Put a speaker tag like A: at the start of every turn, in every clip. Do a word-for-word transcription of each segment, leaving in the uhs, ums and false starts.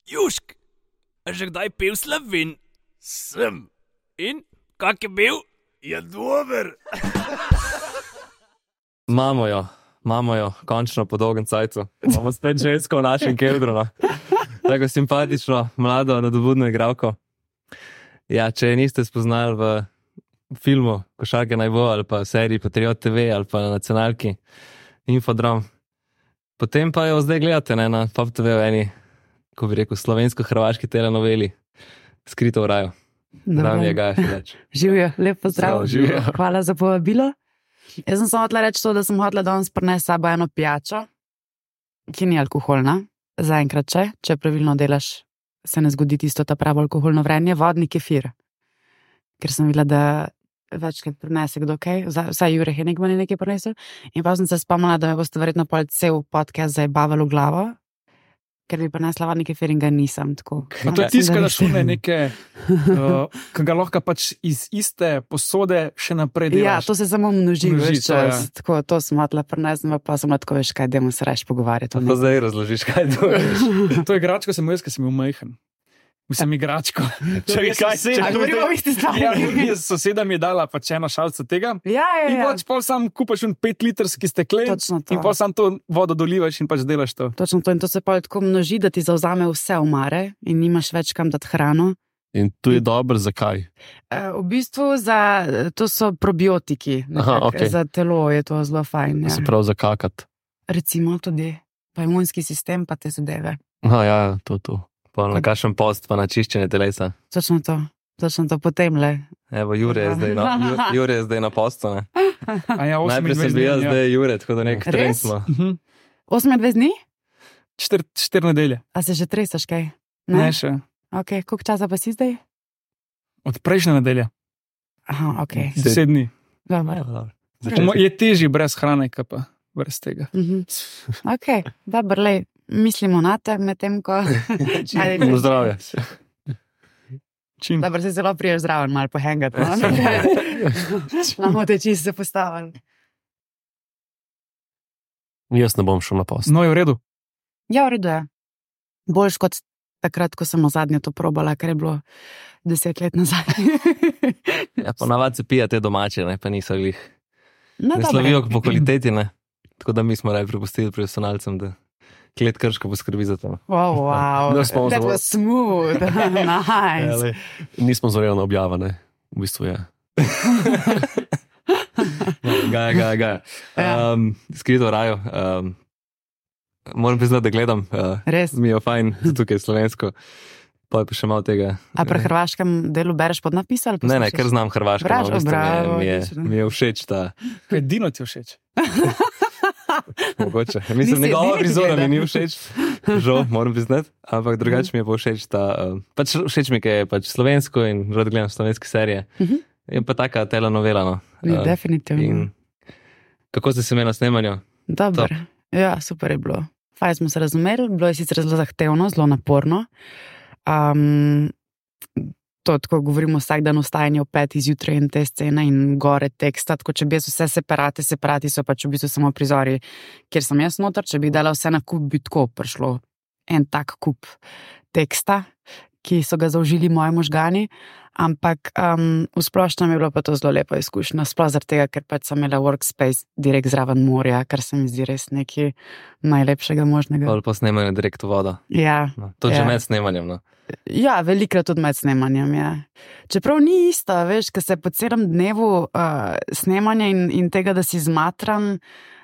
A: Južk, a že kdaj pil Slovin? Sem. In, kak je bil? Je dober.
B: Mamo jo, mamo jo, končno po dolgem cajtu. Imamo spet žensko v našem kedru. No. Tako simpatično, mlado, nadobudno igralko. Ja, če je niste spoznali v filmu Košarke naj bo, ali pa v seriji Patriot T V, ali pa na nacionalki Infodrom, potem pa jo zdaj gledate ne, na Pop T V v eni, ko bi rekel, slovensko-hrvaški telenoveli Skrito v raju. Zdaj mi je Gaja Fileč.
C: Živijo, lep pozdrav.
B: Živijo.
C: Hvala za povabilo. Jaz sem samo hotela reči to, da sem hotela danes prinesti s sabo eno pijačo, ki ni alkoholna, zaenkrat če, če pravilno delaš, se ne zgodi tisto ta pravo alkoholno vrenje, vodni kefir. Ker sem videla, da večkrat prinese kdo kaj, vsaj Jure Henigman je nekaj prinesel, in pa sem se spomnila, da me boste verjetno pol cel podcast zajebavali v glavo, ker bi prinesla vodni kefir in ga nisem. Tako.
D: No, to je tisto, da šune neke, uh, ki ga lahko pač iz iste posode še naprej delaš.
C: Ja, to se samo množi,
D: Množi
C: veš,
D: to, ja.
C: čas. Tako, to sem hotela prinesti, pa sem tako, veš, kaj, dajmo se raje pogovarjati.
B: Pa zdaj razložiš, kaj to je.
D: To igračko sem jaz, ker sem bil majhen. Mislim, igračko.
C: Čakaj, kaj se je? A govorimo o isti stvari?
D: Ja, soseda mi je dala pač eno šalco tega.
C: Ja, ja,
D: In
C: ja.
D: pač pol sam kupaš un pet litrski steklen
C: Točno to.
D: in pol sam to vodo dolivaš in pač delaš to.
C: Točno to, in to se pa tako množi, da ti zauzame vse omare in nimaš več kam dati hrano.
E: In tu je dobro, zakaj?
C: E, v bistvu za, to so probiotiki.
E: Aha,
C: nekak,
E: okej.
C: Za telo je to zelo fajn. Ja.
E: Se pravi za kakat.
C: Recimo tudi, pa imunski sistem, pa te zadeve.
E: Aha, ja, to, to.
B: Pa na kakšen post, pa na čiščenje telesa.
C: Točno to, točno to, potem le.
B: Evo, Jure je zdaj na, Ju- Jure je zdaj na postu, ne?
D: A ja,
B: Najprej sem bil jaz, zdaj je Jure, tako da nek
C: Res?
B: trend smo.
C: osemindvajset dni?
D: Četiri četir nedelje.
C: A se že tresaš kaj?
D: Ne še.
C: Ok, koliko časa pa si zdaj?
D: Od prejšnje nedelje.
C: Aha, ok.
D: Deset dni.
C: Dobro.
D: Je težje brez hrane, kot pa brez tega.
C: Mhm. Ok, dobro, lej, mislimo na te, medtem ko... Ajde,
E: Na zdravje.
D: Čim.
C: Dobro, se zelo priješ zraven, malo pohengati. No? Imamo te čisto se postavili.
E: Jaz ne bom šel na post.
D: No, je v redu.
C: Ja, v redu je. Boljš kot takrat, ko sem zadnje to probala, ker je bilo deset let nazaj.
B: Ja, ponavadi se pija te domače, ne, pa niso glih.
C: No,
B: Ne
C: dobro.
B: slavijo po kvaliteti, ne. Tako da mi smo raje prepustili profesionalcem, da Klet Krško poskrbi za to.
C: Oh, wow,
E: No, smo
C: that
E: zelo-
C: was smooth, nice.
E: Nismo zorjeno objavane. V bistvu je.
B: Gaja, gaja, gaja.
C: Ja.
B: Um, skrito v raju. Um, moram priznati, da gledam. Uh,
C: Res.
B: mi je fajn, zato tukaj je slovensko. Pa je pa še malo tega.
C: A pri hrvaškem delu bereš podnapis ali
B: Ne, ne,
C: poslušaš?
B: ker znam hrvaško.
C: Braš,
B: no, v bistvu
C: bravo,
B: mi, je,
C: odlično.
B: mi, je, mi je všeč ta,
D: Edino ti je všeč.
B: mogoče. Mislim,
C: Nisi
B: njegova
C: edini, ki
B: prizora mi
C: gleda.
B: ni všeč, žal, moram priznati, ampak drugače mi je pa všeč ta, uh, pač všeč mi, ker je pač slovensko in rad gledam slovenske serije.
C: Mhm.
B: Je pa taka telenovela, no.
C: Ni,
B: Uh,
C: definitivno.
B: in kako ste se imeli na snemanju?
C: Dobar. Ja, super je bilo. Fajn smo se razumeli, bilo je sicer zelo zahtevno, zelo naporno. Um, to tako govorimo vsak dan vstajanje v pet izjutraj in te scene in gore teksta, tako če bi jaz vse separate, separati so pač v bistvu samo prizori, kjer sem jaz noter, če bi dala vse na kup, bi tako prišlo en tak kup teksta, ki so ga zaužili moji možgani, ampak um, v splošnem je bilo pa to zelo lepa izkušnja, sploh zaradi tega, ker pač sem imela workspace direkt zraven morja, kar se mi zdi res nekaj najlepšega možnega.
B: Ali pa snemanje direkt v vodo?
C: Ja,
B: No, to že
C: Ja.
B: med snemanjem, no.
C: ja, velikrat tudi med snemanjem, ja. Čeprav ni isto, veš, ker se po celem dnevu uh, snemanja in, in tega, da si zmatran,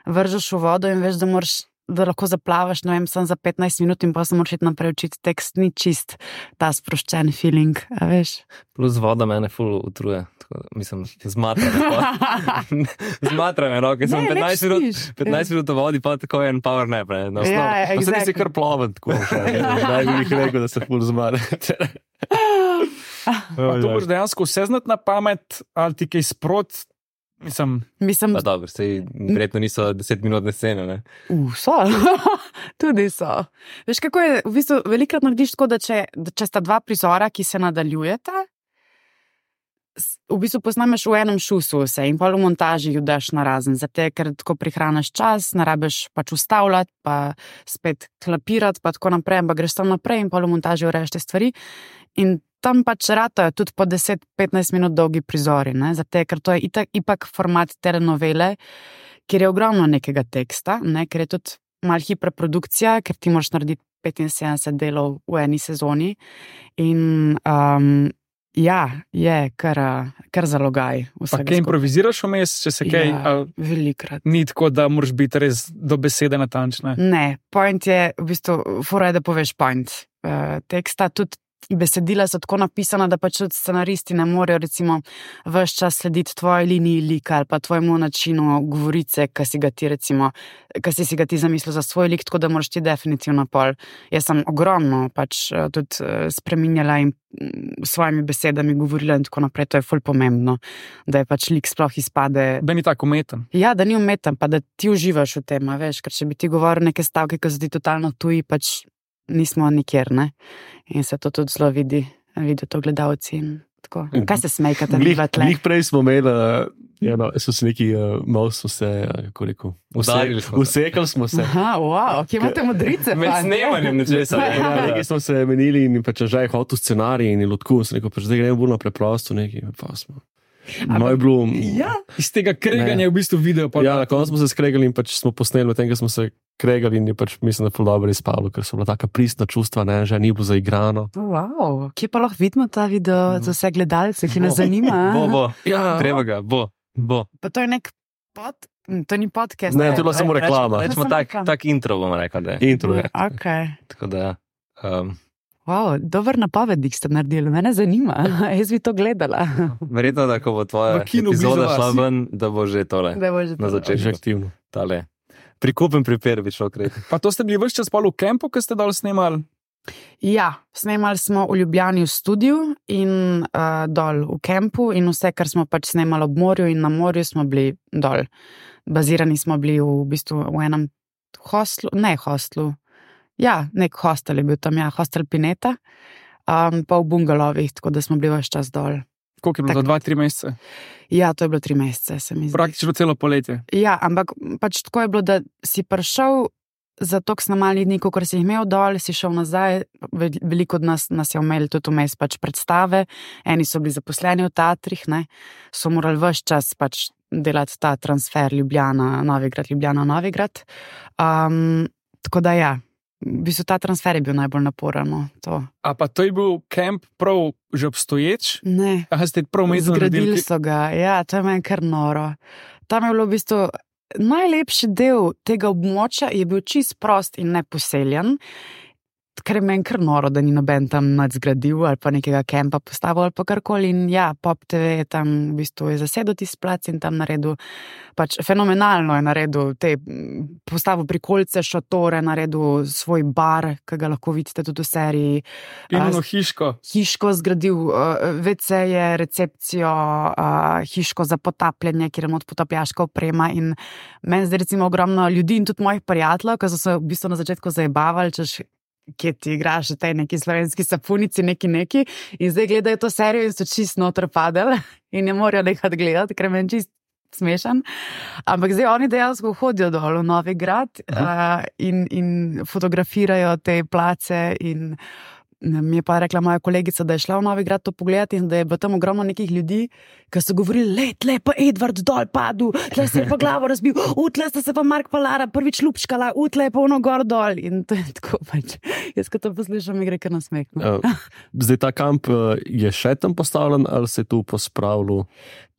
C: vržeš v vodo in veš, da moraš da lahko zaplavaš, ne vem, sem za petnajst minut in pa se moraš iti naprej učiti tekst, ni čist ta sproščen feeling, a veš.
B: Plus voda mene ful utruje. Tako, mislim, zmatra me. pa. Zmatra me, no, ker sem
C: Ne, lep
B: petnajst minut,
C: spiš.
B: petnajst minut v vodi, pa tako je en power nap, ne. Na
C: Ja,
B: osnovi.
E: Pa se ti
C: exactly.
E: si kar ploven, tako. Zdaj bi jih rekel, da se ful zmare.
D: Pa to boš dejansko vse znati na pamet, ali ti kaj sprot, mislim,
C: Mislim,
B: Pa dobro, sej verjetno niso desetminutne scene, ne.
C: Uh, so, tudi so. Veš, kako je, v bistvu velikrat narediš tako, da če, da če sta dva prizora, ki se nadaljujeta, v bistvu posnameš v enem šusu vse in pa v montaži jo daš na razen, zato ker tako prihraniš čas, ne rabiš pač ustavljati, pa spet klapirati, pa tako naprej, ampak greš tam naprej in pa v montaži ureješ te stvari. In tam pač ratajo tudi po deset do petnajst minut dolgi prizori, ne? Zato ker to je itak, ipak format telenovele, kjer je ogromno nekega teksta, ne? Ker je tudi malo hiperprodukcija, ker ti moraš narediti petinsedemdeset delov v eni sezoni in um, ja, je kar, kar zalogaj.
D: Pa kaj improviziraš vmes, če se kaj...
C: Ja, velikrat.
D: Ni tako, da moraš biti res do besede natančna.
C: Ne, point je, v bistvu, fora je, da poveš point uh, teksta, tudi besedila so tako napisana, da pač tudi scenaristi ne morejo recimo ves čas slediti tvoji liniji lika ali pa tvojemu načinu govorice, ki si ga ti recimo, ki si si ga ti zamislil za svoj lik, tako da moraš ti definitivno pol. Jaz sem ogromno pač tudi spreminjala in s svojimi besedami govorila in tako naprej, to je ful pomembno, da je pač lik sploh izpade.
D: Da ni tako umeten.
C: Ja, da ni umeten, pa da ti uživaš v tem, veš, ker če bi ti govoril neke stavke, ki so ti totalno tuji, pač nismo nikjer, ne? In se to tudi zelo vidi, vidijo to gledalci in tako. Kaj se smejkate?
E: Glih prej smo imeli, ja, no, so se neki, uh, malo smo se, kako rekel, usekali smo se.
C: Aha, wow, kje imate modrice?
B: Med snemanjem nečesa.
E: Ja, nekaj smo se menili in pač že je hotel scenarij in je lotku, sem rekel, pač zdaj gremo bolj na preprosto nekaj, pa smo. No je bilo...
C: Ja.
D: Iz tega kreganja je v bistvu video.
E: Ja, na koncu smo se skregali in pač smo posneli, v tem, ko smo se kregali in je pač, mislim, da je ful dobro izpalo, ker so bila taka pristna čustva, ne, že ni bilo zaigrano.
C: Wow, kje pa lahko vidimo ta video za vse gledalce, ki nas zanima?
B: Bo, bo,
E: Ja.
B: treba ga, bo, bo.
C: Pa to je nek pod... To ni podcast.
E: Ne, to je bila samo reklama.
B: Rečemo
C: Samo
B: tak,
C: reklama.
B: tak intro, bomo rekli, da je.
E: Intro je.
C: Ok.
B: Tako da, um,
C: Wow, dober napovednik ste naredili, mene zanima. Jaz bi to gledala.
B: verjetno, da ko bo tvoja
D: V kinu
B: epizoda
D: blizu
B: šla
D: vas.
B: ven, da bo že tole
C: Da bo že
B: na
C: to.
E: Že
B: začetku.
E: aktivno.
B: Tale. Prikupen pripir bi šel kreti.
D: Pa to ste bili vse čas pol v kempu, ko ste dol snemali?
C: Ja, snemali smo v Ljubljani v studiu in uh, dol v kempu in vse, kar smo pač snemali ob morju in na morju smo bili dol. Bazirani smo bili v bistvu v enem hostlu, ne hostlu, ja, nek hostel je bil tam, ja, hostel Pineta, um, pa v bungalovih, tako da smo bili ves čas dol.
D: Koliko je bilo?
C: Tak.
D: Za dva, tri mesece?
C: Ja, to je bilo tri mesece, se mi zdi.
D: Praktično celo poletje.
C: Ja, ampak pač tako je bilo, da si prišel za toliko snemalnih dni, kot si jih imel dol, si šel nazaj, Ve- veliko od nas, nas je imeli tudi vmes pač predstave, eni so bili zaposleni v teatrih, ne, so morali ves čas pač delati ta transfer Ljubljana, Novigrad, Ljubljana, Novigrad. Um, tako da ja, v bistvu ta transfer je bil najbolj naporen. No, to.
D: A pa to je bil kemp prav že obstoječ?
C: Ne.
D: Aha, ste prav umestno
C: Zgradili
D: naredili?
C: so ga, ja, to je meni kar noro. Tam je bilo v bistvu najlepši del tega območja, je bil čist prost in neposeljen, ker je meni kar noro, da ni noben tam nadzgradil ali pa nekega kempa postavil ali pa karkoli. In ja, Pop T V je tam v bistvu je zasedel tisti plac in tam naredil, pač fenomenalno je naredil te, postavil prikolice, šotore, naredil svoj bar, ki ga lahko vidite tudi v seriji.
D: In
C: A,
D: ono hiško.
C: hiško zgradil, uh, ve ce-je, recepcijo, uh, hiško za potapljanje, kjer je not potapljaška oprema. In meni zdaj recimo ogromno ljudi in tudi mojih prijateljev, ki so se v bistvu na začetku zajebavali, češ, kje ti igraš v tej neki slovenski sapunici, neki neki, in zdaj gledajo to serijo in so čist noter padali in ne morajo nekaj gledati, ker je meni čist smešen. Ampak zdaj oni dejansko hodijo dol v Novigrad uh, in, in fotografirajo te place in mi je pa rekla moja kolegica, da je šla v Novigrad to pogledati in da je bilo tam ogromno nekih ljudi, ki so govorili, le, tle pa Edvard dol padel, tle se je pa glavo razbil, u, tle sta se pa Mark Palara prvič lupškala, u, tle je pa ono gor dol. In to je tako pač. Jaz, ko to poslušam, mi gre kar na smeh. No.
E: Uh, zdaj ta kamp uh, je še tam postavljen ali se je tu pospravljal?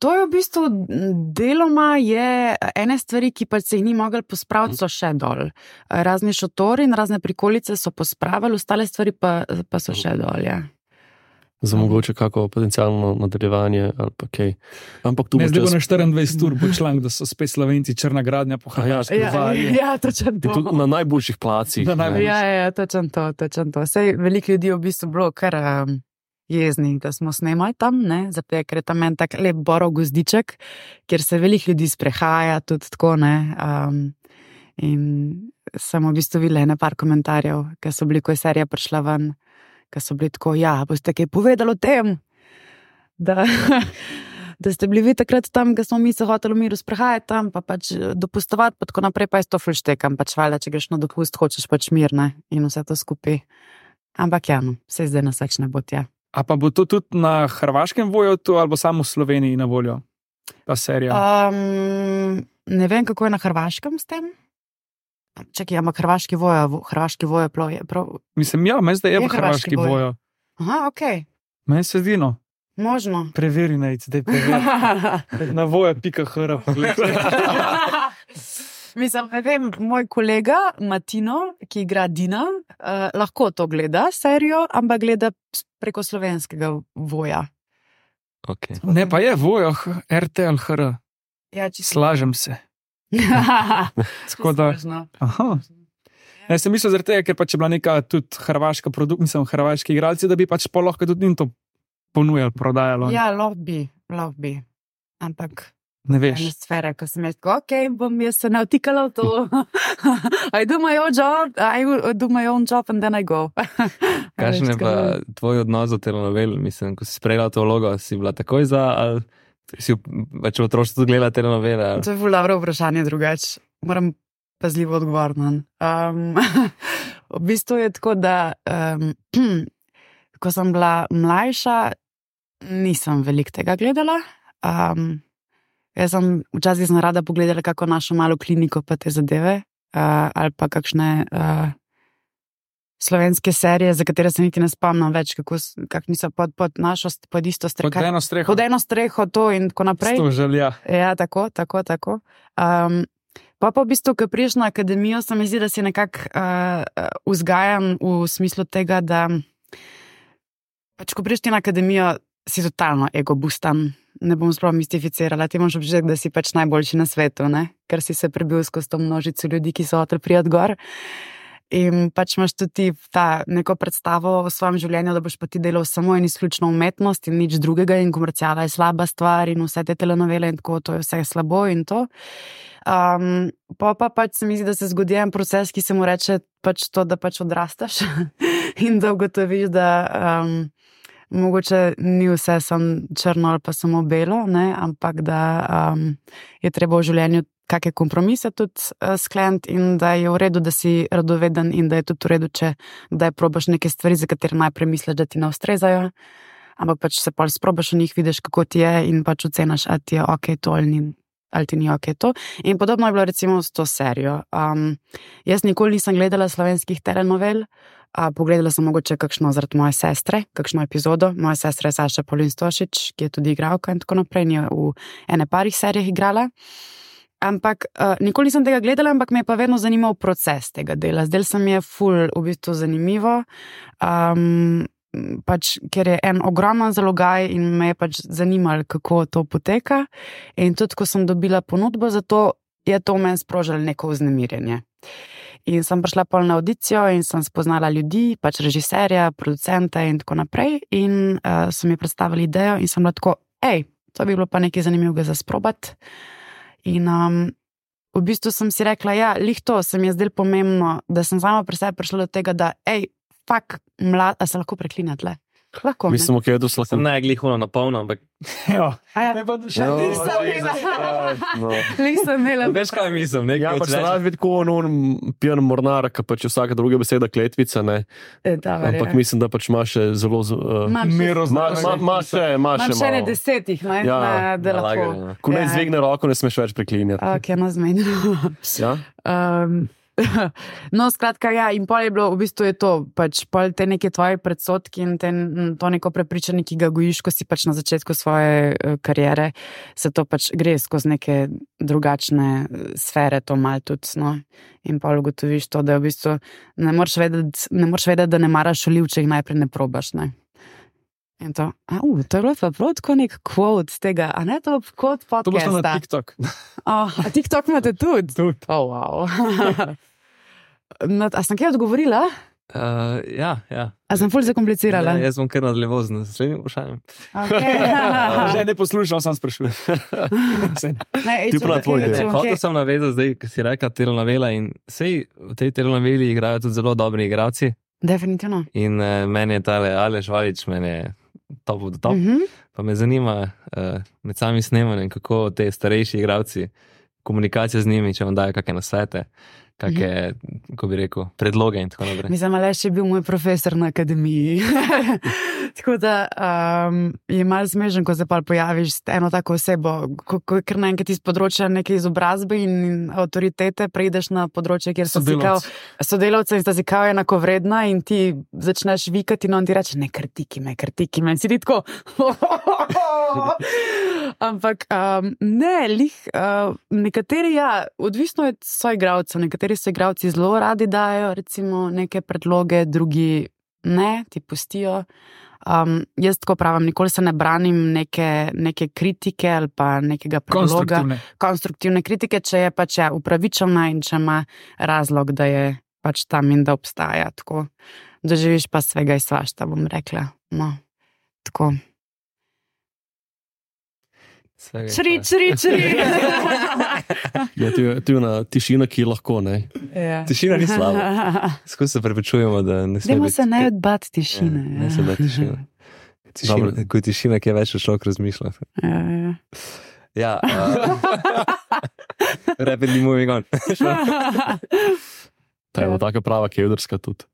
C: To je v bistvu deloma je ene stvari, ki pa se jih ni mogli pospraviti, so še dol. Razni šotori in razne prikolice so pospravili, ostale stvari pa, pa so še dol, ja.
E: Za mogoče kako potencijalno nadaljevanje ali pa kaj. Ampak tu
D: Ne,
E: bo
D: zdaj bo
E: čas...
D: na štiriindvajset ur bo članek, da so spet Slovenci črna gradnja po Hrvaški.
C: Ja, ja, točno to.
E: Tudi na najboljših placih.
D: Na najboljših.
C: Ja, ja, točno to, točno to. Sej veliko ljudi je v bistvu bilo kar um, jezni, da smo snemali tam, ne, zato ker je tam en tak lep borov gozdiček, kjer se veliko ljudi sprehaja, tudi tako, ne. Um, in sem v bistvu videla ene par komentarjev, ki so bili, ko je serija prišla ven, ki so bili tako, ja, boste kaj povedali o tem? da, da ste bili vi takrat tam, ko smo mi se hoteli v miru sprehajati tam, pa pač dopustovati, pa tako naprej, pa je to ful štekam, pač valjda, če greš na dopust, hočeš pač mir, ne, in vse to skupaj. Ampak ja, no, vse zdaj nas več ne bo tja.
D: A pa bo to tudi na hrvaškem vojotu, ali samo v Sloveniji na voljo, ta serija?
C: Um, ne vem, kako je na hrvaškem s tem. Čakaj, ampak hrvaški vojo, hrvaški vojo plov je prav.
D: Mislim, ja, meni zdaj je,
C: Je
D: je hrvaški
C: hrvaški vojo.
D: vojo.
C: Aha, okej, okay.
D: Meni se zdi, no.
C: Možno.
D: Preveri, nejc, daj preveri. Na vojo pika hr.
C: Mislim, ne vem, moj kolega Matino, ki igra Dina, uh, lahko to gleda, serijo, ampak gleda preko slovenskega voja.
B: Okay.
D: Ne, pa je vojo, R T L hr.
C: Ja, čisto.
D: Slažem se. Tako da. Aha. Jaz sem mislil zaradi tega, ker pač je bila neka tudi hrvaška produkcija, mislim, hrvaški igralci, da bi pač pa lahko tudi njim to ponujali, prodajalo.
C: Ja, lahko bi, lahko bi. Ampak
D: ne
C: ena
D: veš.
C: sfera, ko sem jaz tako, ok, bom jaz se navtikala v to. I do my own job, I do my own job and then I go.
B: Kakšen je pa tvoj odnos do telenovel? Mislim, ko si sprejela to vlogo, si bila takoj za, ali si več v otroštvu tudi gledala telenovele? Ali?
C: To je ful dobro vprašanje drugače. Moram pazljivo odgovoriti. Um, v bistvu je tako, da um, ko sem bila mlajša, nisem veliko tega gledala. Um, jaz sem včasih sem rada pogledala kako našo malo kliniko pa te zadeve, uh, ali pa kakšne uh, slovenske serije, za katere se niti ne spomnim več, kako kak niso pod, pod našo, pod isto streho.
D: Pod eno streho.
C: Pod eno streho to in tako naprej.
D: To želja.
C: Ja, tako, tako, tako. Um, pa pa v bistvu, ko priješ na akademijo, se mi zdi, da si nekako uh, vzgajan v smislu tega, da pač, ko priješ ti na akademijo, si totalno ego-bustan. Ne bom sploh mistificirala, ti moraš občutek, da si pač najboljši na svetu, ne? Ker si se prebil skozi to množico ljudi, ki so hoteli priti gor. In pač imaš tudi ta neko predstavo v svojem življenju, da boš pa ti delal samo in izključno umetnost in nič drugega in komerciala je slaba stvar in vse te telenovele in tako, to je vse slabo in to. Um, pa pa pač se mi zdi, da se zgodi en proces, ki se mu reče pač to, da pač odrastaš in da ugotoviš, da um, mogoče ni vse samo črno ali pa samo belo, ne? Ampak da um, je treba v življenju kakšne kompromise tudi uh, skleniti in da je v redu, da si radoveden in da je tudi v redu, če kdaj probaš neke stvari, za katere najprej misliš, da ti ne ustrezajo, ampak pač se pol sprobaš v njih, vidiš, kako ti je in pač ocenaš, ali ti je ok to ali, ni, ali ti ni ok to. In podobno je bilo recimo s to serijo. Um, jaz nikoli nisem gledala slovenskih telenovel, uh, pogledala sem mogoče kakšno zaradi moje sestre, kakšno epizodo. Moja sestra je Saša Polin Stošič, ki je tudi igralka in tako naprej, in je v ene parih serijah igrala. Ampak uh, nikoli nisem tega gledala, ampak me je pa vedno zanimal proces tega dela. Zdaj se mi je ful v bistvu zanimivo, um, pač, ker je en ogromen zalogaj in me je pač zanimalo, kako to poteka. In tudi, ko sem dobila ponudbo za to, je to meni sprožilo neko vznemirjenje. In sem prišla pol na audicijo in sem spoznala ljudi, pač režiserja, producenta in tako naprej. In uh, so mi predstavili idejo in sem bila tako, ej, to bi bilo pa nekaj zanimivega za sprobati. In um, v bistvu sem si rekla, ja, lih to se mi je zdelo pomembno, da sem sama pri sebi prišla do tega, da, ej, fak, mlad, a se lahko preklinja tle? Lahko, ne?
E: Mislim, ok, da se lahko.
B: Sem ne glihuno na polno, ampak
D: Ja,
C: A ja,
D: ne pa še
E: No,
C: nisem imela. Nisem imela.
B: veš kaj mislim, nekaj
E: Ja, pač se rad vidi, ko on pijan mornar, ki pač je vsaka druga beseda kletvica, ne.
C: E, da,
E: Ampak mislim, da pač ima še zelo... Uh,
C: Imam še-
D: Miro
E: Ma, ma, ma še, ma še
C: Imam še ne
E: malo.
C: desetih, ne,
E: Ja,
C: na, da
B: nalagane,
C: lahko.
B: ne.
E: Ko ne
C: Ja.
E: izvegne roko, ne smeš več preklinjati.
C: Ok, no zmenjeno.
E: Ja?
C: Um, no, skratka, ja, in pol je bilo, v bistvu je to, pač pol te neke tvoje predsodki in te, to neko prepričanje, ki ga gojiš, ko si pač na začetku svoje uh, kariere, se to pač gre skozi neke drugačne uh, sfere, to mal tudi, no, in pol ugotoviš to, da v bistvu ne moreš vedeti, ne moreš vedeti, da ne maraš oliv, če jih najprej ne probaš, ne. In to, a, uh, to je bilo pa prav tako nek quote z tega, a ne to quote
D: To bo šlo na
C: podcasta.
D: TikTok.
C: Oh, a TikTok imate tudi?
D: Tudi.
C: Oh, wow. No, a sem kaj odgovorila?
B: Uh, ja, ja.
C: A sem ful zakomplicirala?
B: Ja, jaz bom kar nadaljeval z naslednjim vprašanjem.
C: Okay.
D: Že ne poslušam, sam sprašujem.
C: Ne,
E: Ti prav tvoj del.
B: Hotel sem navezati zdaj, ko si rekla telenovela in sej v tej telenoveli igrajo tudi zelo dobri igralci
C: Definitivno.
B: in uh, meni je tale Aleš Valič, meni je top of the top.
C: Mhm.
B: Pa me zanima uh, med samim snemanjem, kako te starejši igralci, komunikacija z njimi, če vam dajo kakšne nasvete, kakšne, kako bi rekel, predloge in tako naprej.
C: Mislim, Aleš je bil moj profesor na akademiji. Tako da um, je malo smešen, ko se pa pojaviš s eno tako osebo, ko, ko ker naenkrat iz področja neke izobrazbe in avtoritete preideš na področje, kjer so si kao sodelavce in sta si kao enako vredna in ti začneš vikati in on ti reče, ne krtiki me, krtiki me. In si ti tako... Ampak um, ne, lih, uh, nekateri, ja, odvisno je soigralcev, nekateri soigralci zelo radi dajo recimo neke predloge, drugi ne, ti pustijo. Um, jaz tako pravim, nikoli se ne branim neke, neke kritike ali pa nekega predloga.
D: Konstruktivne.
C: Konstruktivne kritike, če je pač ja, upravičena in če ima razlog, da je pač tam in da obstaja. Tako doživiš pa svega in svašta, bom rekla. No, tako. Čri, čri, čri.
E: Ja, tu je, tu je na tišina, ki lahko, ne.
C: Ja.
B: Tišina ni slaba. Skoro se prepričujemo, da ne sme
C: Dajmo
B: biti...
C: se ne odbati tišine.
B: Ja, ne se bati tišina. Tišina, ko je tišina, ki je več človek razmišlja.
C: Ja, ja.
B: Ja. Uh, rapidly moving on.
E: Ta je bila taka prava kevdrska tudi.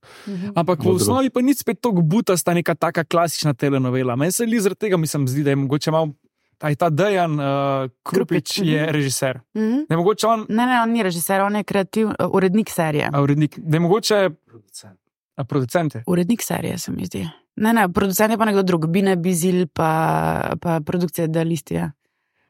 D: Ampak v osnovi pa ni spet toliko butasta neka taka klasična telenovela. Meni se li zaradi tega, mislim, zdi, da je mogoče malo taj ta Dejan uh, Krupič je režiser.
C: Mhm.
D: Da je mogoče on,
C: Ne, ne, on ni režiser, on je kreativ, urednik serije.
D: a urednik, da je mogoče a producent je.
C: Urednik serije, se mi zdi. Ne, ne, producent je pa nekdo drug, Bine Bizil, pa, pa produkcija Idealistija.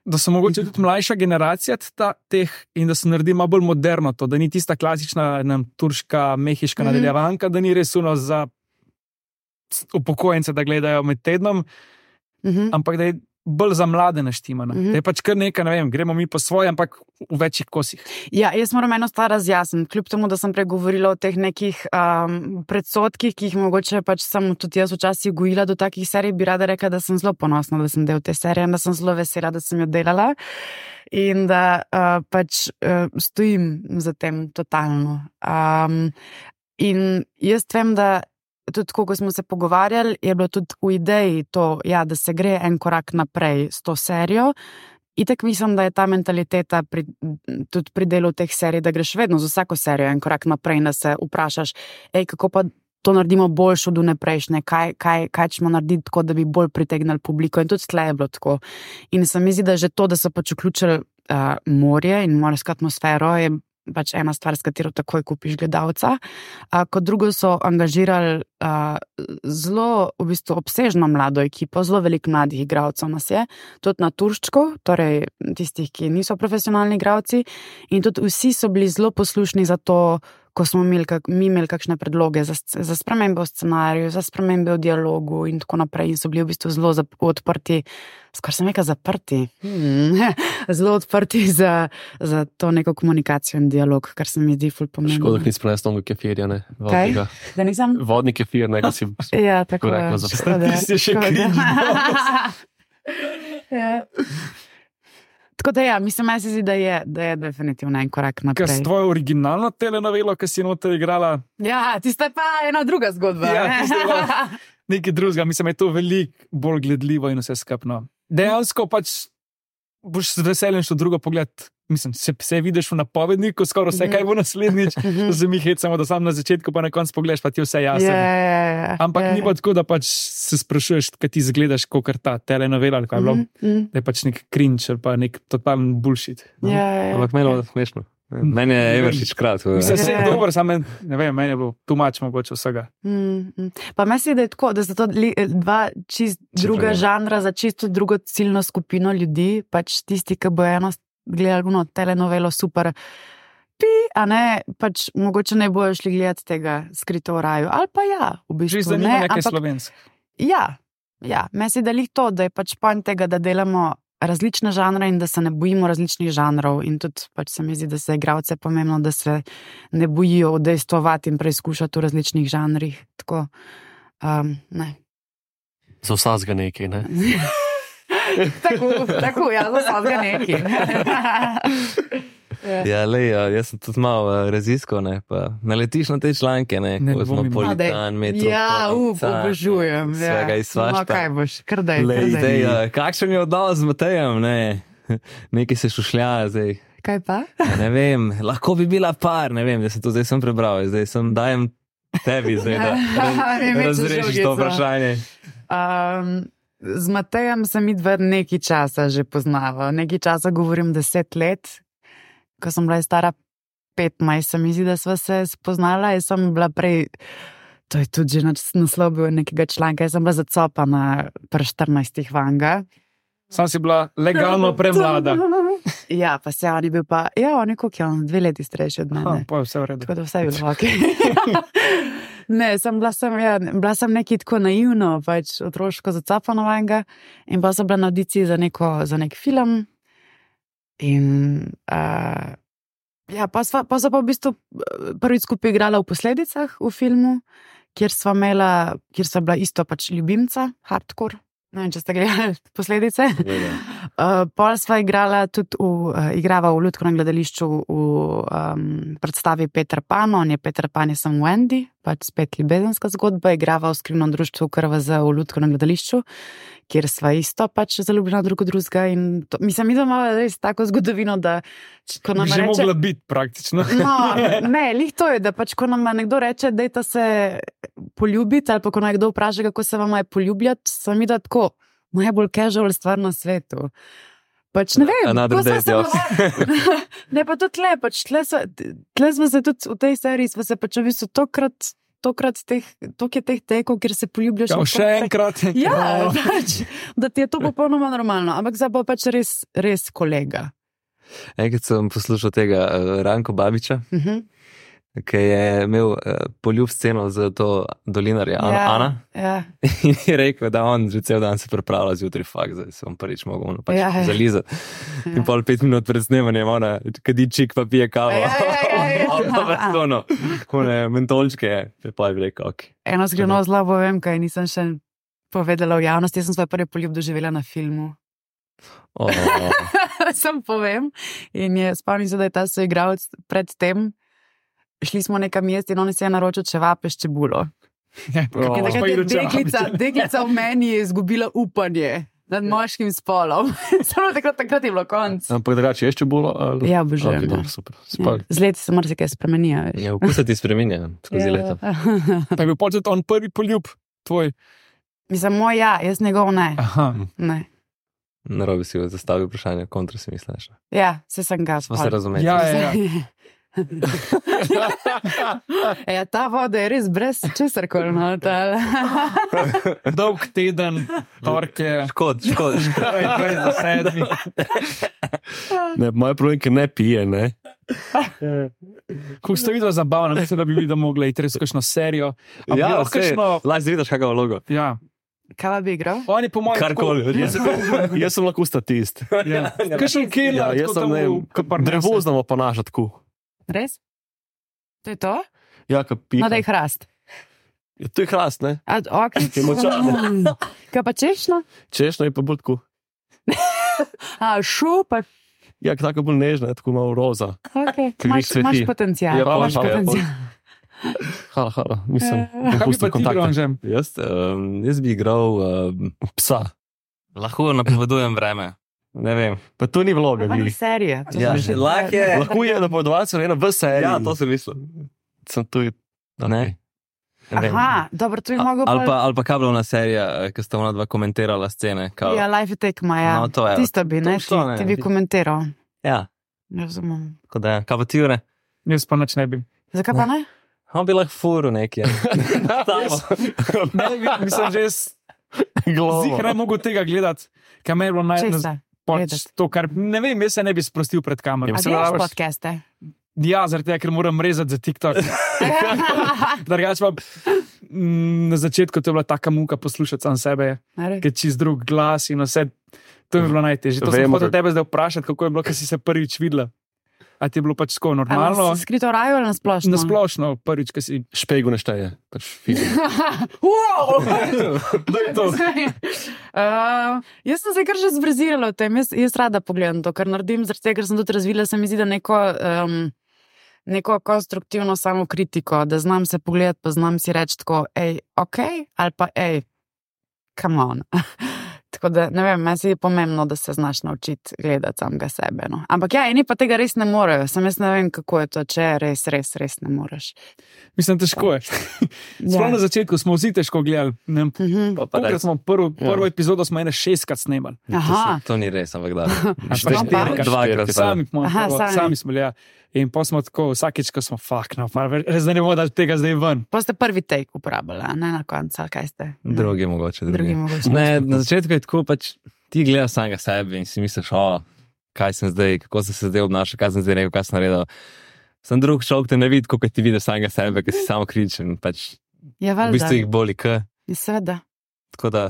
D: Da so mogoče tudi mlajša generacija ta, teh in da se naredi malo bolj moderno to, da ni tista klasična nam, turška, mehiška
C: Mhm.
D: nadaljevanka, da ni res uno za upokojence, da gledajo med tednom,
C: Mhm.
D: ampak da je bolj za mlade naštimana.
C: Mhm.
D: Da je pač kar nekaj, ne vem, gremo mi po svoje, ampak v večjih kosih.
C: Ja, jaz moram eno stvar razjasniti, kljub temu, da sem pregovorila o teh nekih um, predsodkih, ki jih mogoče pač sem tudi jaz včasih gojila do takih serij, bi rada rekla, da sem zelo ponosna, da sem del te serije in da sem zelo vesela, da sem jo delala in da uh, pač uh, stojim za tem totalno. Um, in jaz vem, da tudi, ko smo se pogovarjali, je bilo tudi v ideji to, ja, da se gre en korak naprej s to serijo. Itak mislim, da je ta mentaliteta pri, tudi pri delu teh serij, da greš vedno z vsako serijo en korak naprej in da se vprašaš, ej, kako pa to naredimo boljše od vneprejšnje, kaj, kaj, kaj ćemo narediti tako, da bi bolj pritegnili publiko. In tudi tle je bilo tako. In se mi zdi, da že to, da so pač vključili uh, morje in morsko atmosfero, je pač ena stvar, s katero takoj kupiš gledalca. A, kot drugo so angažirali a, zelo v bistvu obsežno mlado ekipo, zelo veliko mladih igralcev nas je, tudi na turščku, torej tistih, ki niso profesionalni igralci, in tudi vsi so bili zelo poslušni za to, ko smo imeli, kak, mi imeli kakšne predloge za, za spremembe v scenariju, za spremembe v dialogu in tako naprej, in so bili v bistvu zelo zap, odprti, skoraj sem rekel zaprti, hmm. zelo odprti za, za to neko komunikacijo in dialog, kar se mi zdi ful pomembno.
E: Škoda, da nisi prenesel tega kefirja, ne? Vodnega.
C: Kaj? Da nisem?
E: Vodni kefir, ne, da si
C: Ja, tako
E: rekla
C: je.
E: za
C: Škoda,
D: Tisti je še
C: škoda.
D: križ.
C: Ja. Tako da ja, mislim, meni se zdi, da je, da je definitivno en korak
D: Ker
C: naprej.
D: s tvojo originalno telenovelo, ki si noter igrala,
C: Ja, tista je pa ena druga zgodba.
D: Ja,
C: ne?
D: tista je bila- nekaj drugega, mislim, da je to veliko bolj gledljivo in vse skupno. Dejansko pač boš z veseljem šel drugo pogled. Mislim, se, se vidiš v napovedniku, skoraj vse, kaj bo naslednjič, da se mi hecamo, da sam na začetku, pa na koncu pogledaš, pa ti je vse jasno.
C: Ja, ja, ja.
D: Ampak
C: ja,
D: ni pa tako, da pač se sprašuješ, kaj ti zgledaš, kot ta telenovela, ali kaj je bilo,
C: Mhm, mhm.
D: da je pač nek cringe ali pa nek totalen bullshit.
C: Ja, ja, ja.
B: Ampak meni je bilo smešno. Meni je Everšič krat.
D: Vse se je
C: Ja.
D: dobro, samo men- ne vem, meni je bilo tumač mogoče vsega.
C: Mm, mm. Pa meni se zdi, da je tako, da so to li, dva čist druga
B: Čeprav je.
C: žanra za čisto drugo ciljno skupino ljudi, pač tisti, ki bo eno gledali no, telenovelo super, pi, a ne, pač mogoče ne bojo šli gledati tega Skrito v raju, ali pa ja, v
D: Že
C: bistvu
D: zanima
C: ne,
D: nekaj
C: ampak
D: slovensk.
C: ja, ja, meni se da lih to, da je pač pojem tega, da delamo različne žanre in da se ne bojimo različnih žanrov in tudi pač se mi zdi, da se igralce pomembno, da se ne bojijo udejstvovati in preizkušati v različnih žanrih, tako, um, ne.
E: za vsazga nekaj, ne?
C: tako, tako, ja, za vsega neki.
B: Ja, lej, jaz sem tudi malo uh, raziskal, ne, pa naletiš na te članke, ne,
D: Ne
B: kozmopolitan, metropolitan.
C: Ja, up, obožujem.
B: Svega
C: Ja.
B: iz svašta.
C: No, kaj boš, krdaj,
B: Lej,
C: krdaj.
B: zdaj, uh, kakšen je odnos z Matejem, ne, nekaj se šušlja, zdaj,
C: Kaj pa?
B: ja, ne vem, lahko bi bila par, ne vem, da se to zdaj sem prebral, zdaj sem dajem tebi, zdaj, da
C: Ne mečeš
B: razrešiš to
C: žogico.
B: vprašanje.
C: Um, z Matejem sem midva nekaj časa že poznava. Nekaj časa govorim deset let. Ko sem bila stara petnajst, se mi zdi, da sva se spoznala. Jaz sem bila prej, to je tudi že naslov bil nekega članka, jaz sem bila zacopana pri štirinajstih vanga.
D: Sam si bila legalno premlada.
C: Ja, pa se on je bil pa, ja, on je koliko je on, dve leti starejši od
D: Aha,
C: mene.
D: pa je vse v redu.
C: Tako da vse je bilo ok. Ne, sem bila sem, ja, bila sem nekaj tako naivno, pač otroško zacapano vanga in pa sem bila na audiciji za, neko, za nek film in uh, ja, pa sva, pa sva pa v bistvu prvič skupaj igrala v Posledicah v filmu, kjer sva imela, kjer sva bila isto pač ljubimca, hardcore. Ne vem, če ste gledali Posledice. Uh, pol sva igrala tudi v, uh, igrava v Lutkovnem gledališču v um, predstavi Peter Pan, on je Peter Pan, jaz sem Wendy, pač spet ljubezenska zgodba, igrava v skrivnem društvu K R V Z v Lutkovnem gledališču, kjer sva isto pač zaljubljena drug od drugega in to, mislim, mi imamo res tako zgodovino, da ko nam
D: Bi že
C: reče...
D: mogla biti praktično.
C: No, ne, lih to je, da pač ko nam nekdo reče, dajte se poljubiti, ali pa ko nekdo vpraša, kako se vam je poljubljati, sem mi da tako najbolj casual stvar na svetu. Pač ne vem,
B: Another
C: ko sva
B: day,
C: se
B: yeah.
C: pogovarjala- Ne, pa tudi tle, pač tle, sva, tle smo se tudi v tej seriji, smo se pač v bistvu tokrat, tokrat teh, tok je teh tekov, kjer se poljubljaš.
D: Ja,
C: v
D: še
C: tokrat-
D: enkrat.
C: Ja, pač, da ti je to popolnoma normalno, ampak zdaj pa pač res, res kolega.
B: Enkrat sem poslušal tega uh, Ranko Babiča,
C: Uh -huh.
B: ki je imel uh, poljub sceno za to dolinarja Ana,
C: Ja,
B: Ana
C: ja.
B: in je rekel, da on že cel dan se pripravlja zjutraj, fakt, zdaj se bom prvič mogel ono pač
C: Ja, ja.
B: zalizati.
C: Ja.
B: In pol pet minut pred snemanjem ona kadi čik pa pije kavo.
C: Ja, ja, ja, ja.
B: Pa pa ono, one mentolčke, pa je rekel, ok.
C: Eno skrivno zlo povem, kaj nisem še povedala v javnosti. Jaz sem svoj prvi poljub doživela na filmu.
B: Oh,
C: Sem povem. In je spomnim se, da je ta soigralec pred tem. Šli smo nekam jesti in on se je naročil čevape s čebulo.
D: Ja,
B: Oh.
D: kako
C: In
D: boš pa
C: takrat je
D: jedel
C: deklica,
D: čevapice?
C: deklica v meni je izgubila upanje nad moškim spolom. Samo takrat, takrat je bilo konc.
E: Ampak drugače je še bolj. Ali...
C: Ja, obožujem,
E: Okay,
C: ja.
E: dobro, super.
C: Ja.
E: Spal.
C: Z leti se marsikaj spremeni. a veš.
B: ja, vkus ti spreminja skozi
C: Ja.
B: leta.
D: Pa je bil počet on prvi poljub tvoj.
C: Mislim, moj ja, jaz njegov ne.
D: Aha.
C: ne.
B: Narobe si jo zastavil vprašanje, kontra si misliš.
C: Ja, se sem ga
B: Smo se razumeli.
D: Ja, ja, ja.
C: Ja, ta voda je res brez česar koli noter.
D: Dolg teden, torke,
B: Škod, škod, škod.
D: dvajset za sedmi.
E: Ne, moj problem je, ker ne pije, ne.
D: Kako ste videli zabavno, mislim, da bi bili, da mogli iti res v kakšno serijo. A bi
B: Ja,
D: bilo
B: vse,
D: kakšno...
B: lahko vidiš kakšno vlogo.
D: Ja.
C: Kaj pa bi igral?
D: On je po mojem...
B: Karkoli,
E: Jaz, jaz sem lahko statist.
D: Ja. Kakšen killer,
E: Ja, jaz sem ne, drevo znamo ponašati tako.
C: Res? To je to?
E: Ja, ka pije.
C: No, da je hrast.
E: Ja, to je hrast, ne?
C: A, okay.
E: Je močan.
C: Kaj pa češno?
E: Češno je pa bolj tako.
C: A, šu, pa
E: Ja, tako bolj nežna, tako malo roza.
C: okay.
E: Ki
C: Imaš,
E: cveti.
C: imaš potencial.
E: Ja,
C: imaš
E: hvala, hvala.
C: potencial.
E: Hala, hala, mislim.
C: Ja.
E: bom
D: Kaj bi
E: pustil
D: pa ti igral,
E: kontakte.
D: že?
B: Jaz, um, jaz bi igral, um,
E: Psa.
B: lahko napovedujem vreme. Ne vem.
E: Pa to ni vloga,
C: Pa ni
E: vi.
C: serija. To
B: Ja,
C: sem že-
B: lahko je.
E: Lahko je napovedovalce ena v seriji.
B: Ja, to sem mislil.
E: sem tu.
B: Ne. Ne vem.
C: Aha, dobro, to bi mogel
B: Ali pa, ali pa kablovna serija, ki sta ona dva komentirala scene. Kao,
C: Ja, life je tekma, ja.
B: No, to je.
C: Tisto bi, ne,
B: To- to
C: ti,
B: ne,
C: ti bi
B: ti-
C: komentiral.
B: ja,
C: Razumem.
B: tako da, kaj pa ti ure?
D: Jaz pa nič ne bi.
C: Zakaj pa ne?
B: On bi lahko furu nekje.
D: Ne, bi- mislim, že jaz zihar ne mogu tega gledati, ker me je bilo naj...
C: Česa?
D: Pač
C: gledati?
D: to, kar ne vem, jaz se ne bi sprostil pred kamero.
C: A
E: Mislim,
C: gledaš
E: rabiš-
C: podcaste?
D: Ja, zaradi tega, ker moram rezati za TikTok. Drugače pa mm, na začetku to je bila taka muka poslušati sam sebe,
C: Ne,
D: ker čist drug glas in vse. To mi je bilo najtežje. To sem
E: Vemo,
D: hotel
E: kako-
D: tebe zdaj vprašati, kako je bilo, ko si se prvič videla. A ti je bilo pač tako normalno?
C: Skrito v raju ali na splošno?
D: Na splošno, prvič, ko si...
E: Špegu ne šteje. Pač film.
C: Wow!
D: Da je to.
C: Uh, jaz sem se kar že zvrzirala v tem, jaz, jaz rada pogledam to, kar naredim, zaradi tega, ker sem tudi razvila, se mi zdi, da neko, um, neko konstruktivno samokritiko, da znam se pogledati, pa znam si reči tako, ej, ok, ali pa ej, come on. Tako da, ne vem, meni se je pomembno, da se znaš naučiti gledati samega sebe. No. Ampak ja, eni pa tega res ne morejo, sem jaz ne vem, kako je to, če res, res, res ne moreš.
D: Mislim, težko je. Sploh
C: Ja.
D: na začetku smo vsi težko gledali. Ne vem,
C: Mhm.
B: Pa pa
D: Tokrat
B: res.
D: smo prvo,
E: Ja.
D: prvo epizodo smo ene šestkrat snemali.
C: Aha,
B: To ni res, ampak da.
D: pa
C: štirikrat.
B: Dvakrat.
D: Sami, smo,
C: Aha,
D: prvo,
C: sami.
D: sami smo bili. Ja. In pa smo tako, vsakeč, ko smo fak, no, pa res da ne bomo dali tega zdaj ven.
C: pa ste prvi take uporabljali, a ne na koncu, ali kaj ste? Ne.
B: Drugi mogoče.
C: Drugi mogoče.
B: Ne, na začetku je tako, pač ti gledaš samega sebe in si misliš, o, kaj sem zdaj, kako sem se zdaj obnašal, kaj sem zdaj rekel, kaj sem naredil. Sem drug človek te ne vidi, kako ti vidiš samega sebe, ker si samo kritičen. Pač,
C: Ja,
B: v
C: valjda.
B: bistvu jih boli, k.
C: Seveda.
B: Tako da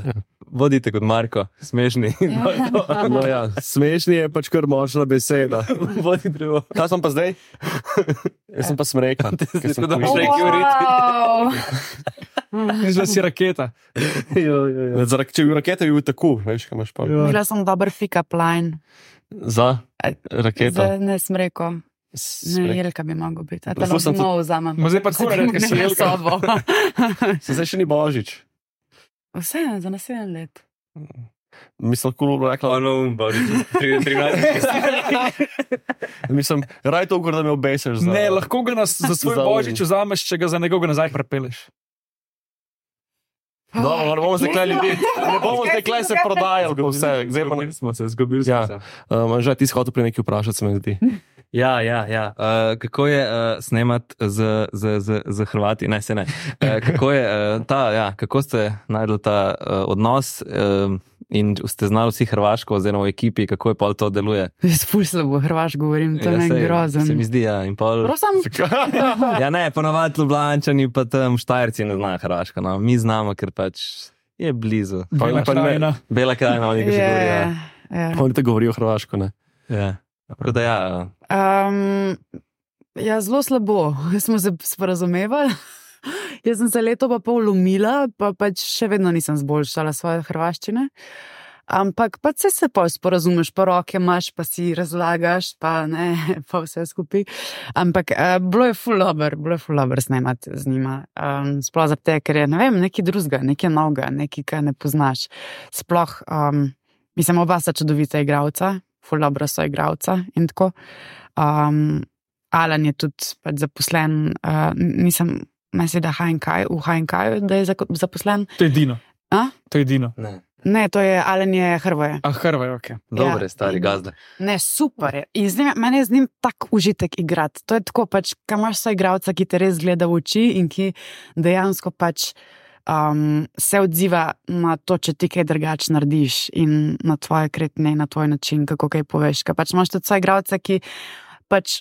B: vodite kot Marko, smešni.
E: No, ja, smešni je pač kar močna beseda.
B: Vodi drugo.
E: Kaj sem pa zdaj? Jaz sem pa smrekan. ker sem
B: Tako da
E: kuj-
B: boš rekel, riti.
D: Mislim, da si raketa.
E: Zaradi, če bi bil raketa, bi bil tako, veš, kaj imaš pa.
C: Bila sem dober pick-up line.
E: Za raketa.
C: Zdaj ne sem rekel. Ne,
E: Smrek.
C: Jelka bi mogel biti. A te
E: Lahko sem
C: lahko malo vzamem.
D: Ma zdaj pa tako reči, ker si
C: Gremo
D: Jelka.
C: sobo.
E: Se zdaj še ni božič.
C: Vse, za naslednji let.
E: Mislim, lahko bi rekla,
B: Ono, boži, trinajst.
E: mislim, raj to, da me obesiš. Za...
D: Ne, lahko ga nas za svoj
E: Za
D: božič vzameš, če ga za nekoga nazaj prepeleš.
E: No, ne bomo zdaj klej ljudi, ne bomo zdaj klej se prodajali, bo vse. Zdaj pa ne.
B: smo se, zgubili
E: Ja. Um, že ti si hotel pri nekaj vprašati, se mi zdi.
B: Ja, ja, ja. Uh, kako je uh, snemati z, z, z, z Hrvati? Ne, se ne. Uh, kako je uh, ta, ja, kako ste najdli ta uh, odnos uh, in ste znali vsi hrvaško, oziroma v ekipi, kako je pol to deluje?
C: Jaz ful slabo hrvaš govorim, to
B: Ja,
C: je
B: sej,
C: grozen.
B: Se mi zdi, ja. In pol...
C: Prosim?
B: Ja, ne, ponovadi Ljubljančani, pa tam Štajerci ne znajo hrvaško. No. Mi znamo, ker pač je blizu.
D: Bela
E: pa ne-
D: krajina.
B: Bela krajina, oni ga že govorijo.
C: Je,
B: Ja.
C: je.
E: Oni te govorijo hrvaško, ne?
B: Ja. Tako da ja.
C: Um, ja, zelo slabo. Smo se sporazumevali. Jaz sem se leto pa pol umila, pa pač še vedno nisem zboljšala svoje hrvaščine. Ampak pa se se pa sporazumeš, pa roke imaš, pa si razlagaš, pa ne, pa vse skupaj. Ampak uh, bilo je ful dobro, bilo je ful dobro snemati z njima. Um, sploh zato, ker je, ne vem, nekaj drugega, nekaj novega, nekaj, kar ne poznaš. Sploh, um, mislim, oba sta čudovita igralca, ful dobro so igralca in tako. Um, Alan je tudi pač zaposlen, uh, nisem, mislim, da H N K, v H N K-ju, da je zako- zaposlen.
D: To je Dino.
C: A?
D: To je Dino.
B: Ne.
C: Ne, to je Alan je Hrvoje.
D: A Hrvaj, ok.
B: Dobre,
C: Ja.
B: stari gazde.
C: Ne, super je. In z njim, meni je z njim tak užitek igrati. To je tako, pač, kaj imaš so igralca, ki te res gleda v oči in ki dejansko pač um, se odziva na to, če ti kaj drugače narediš in na tvoje kretnje, na tvoj način, kako kaj poveš. Kaj pač imaš tudi so igralce, ki pač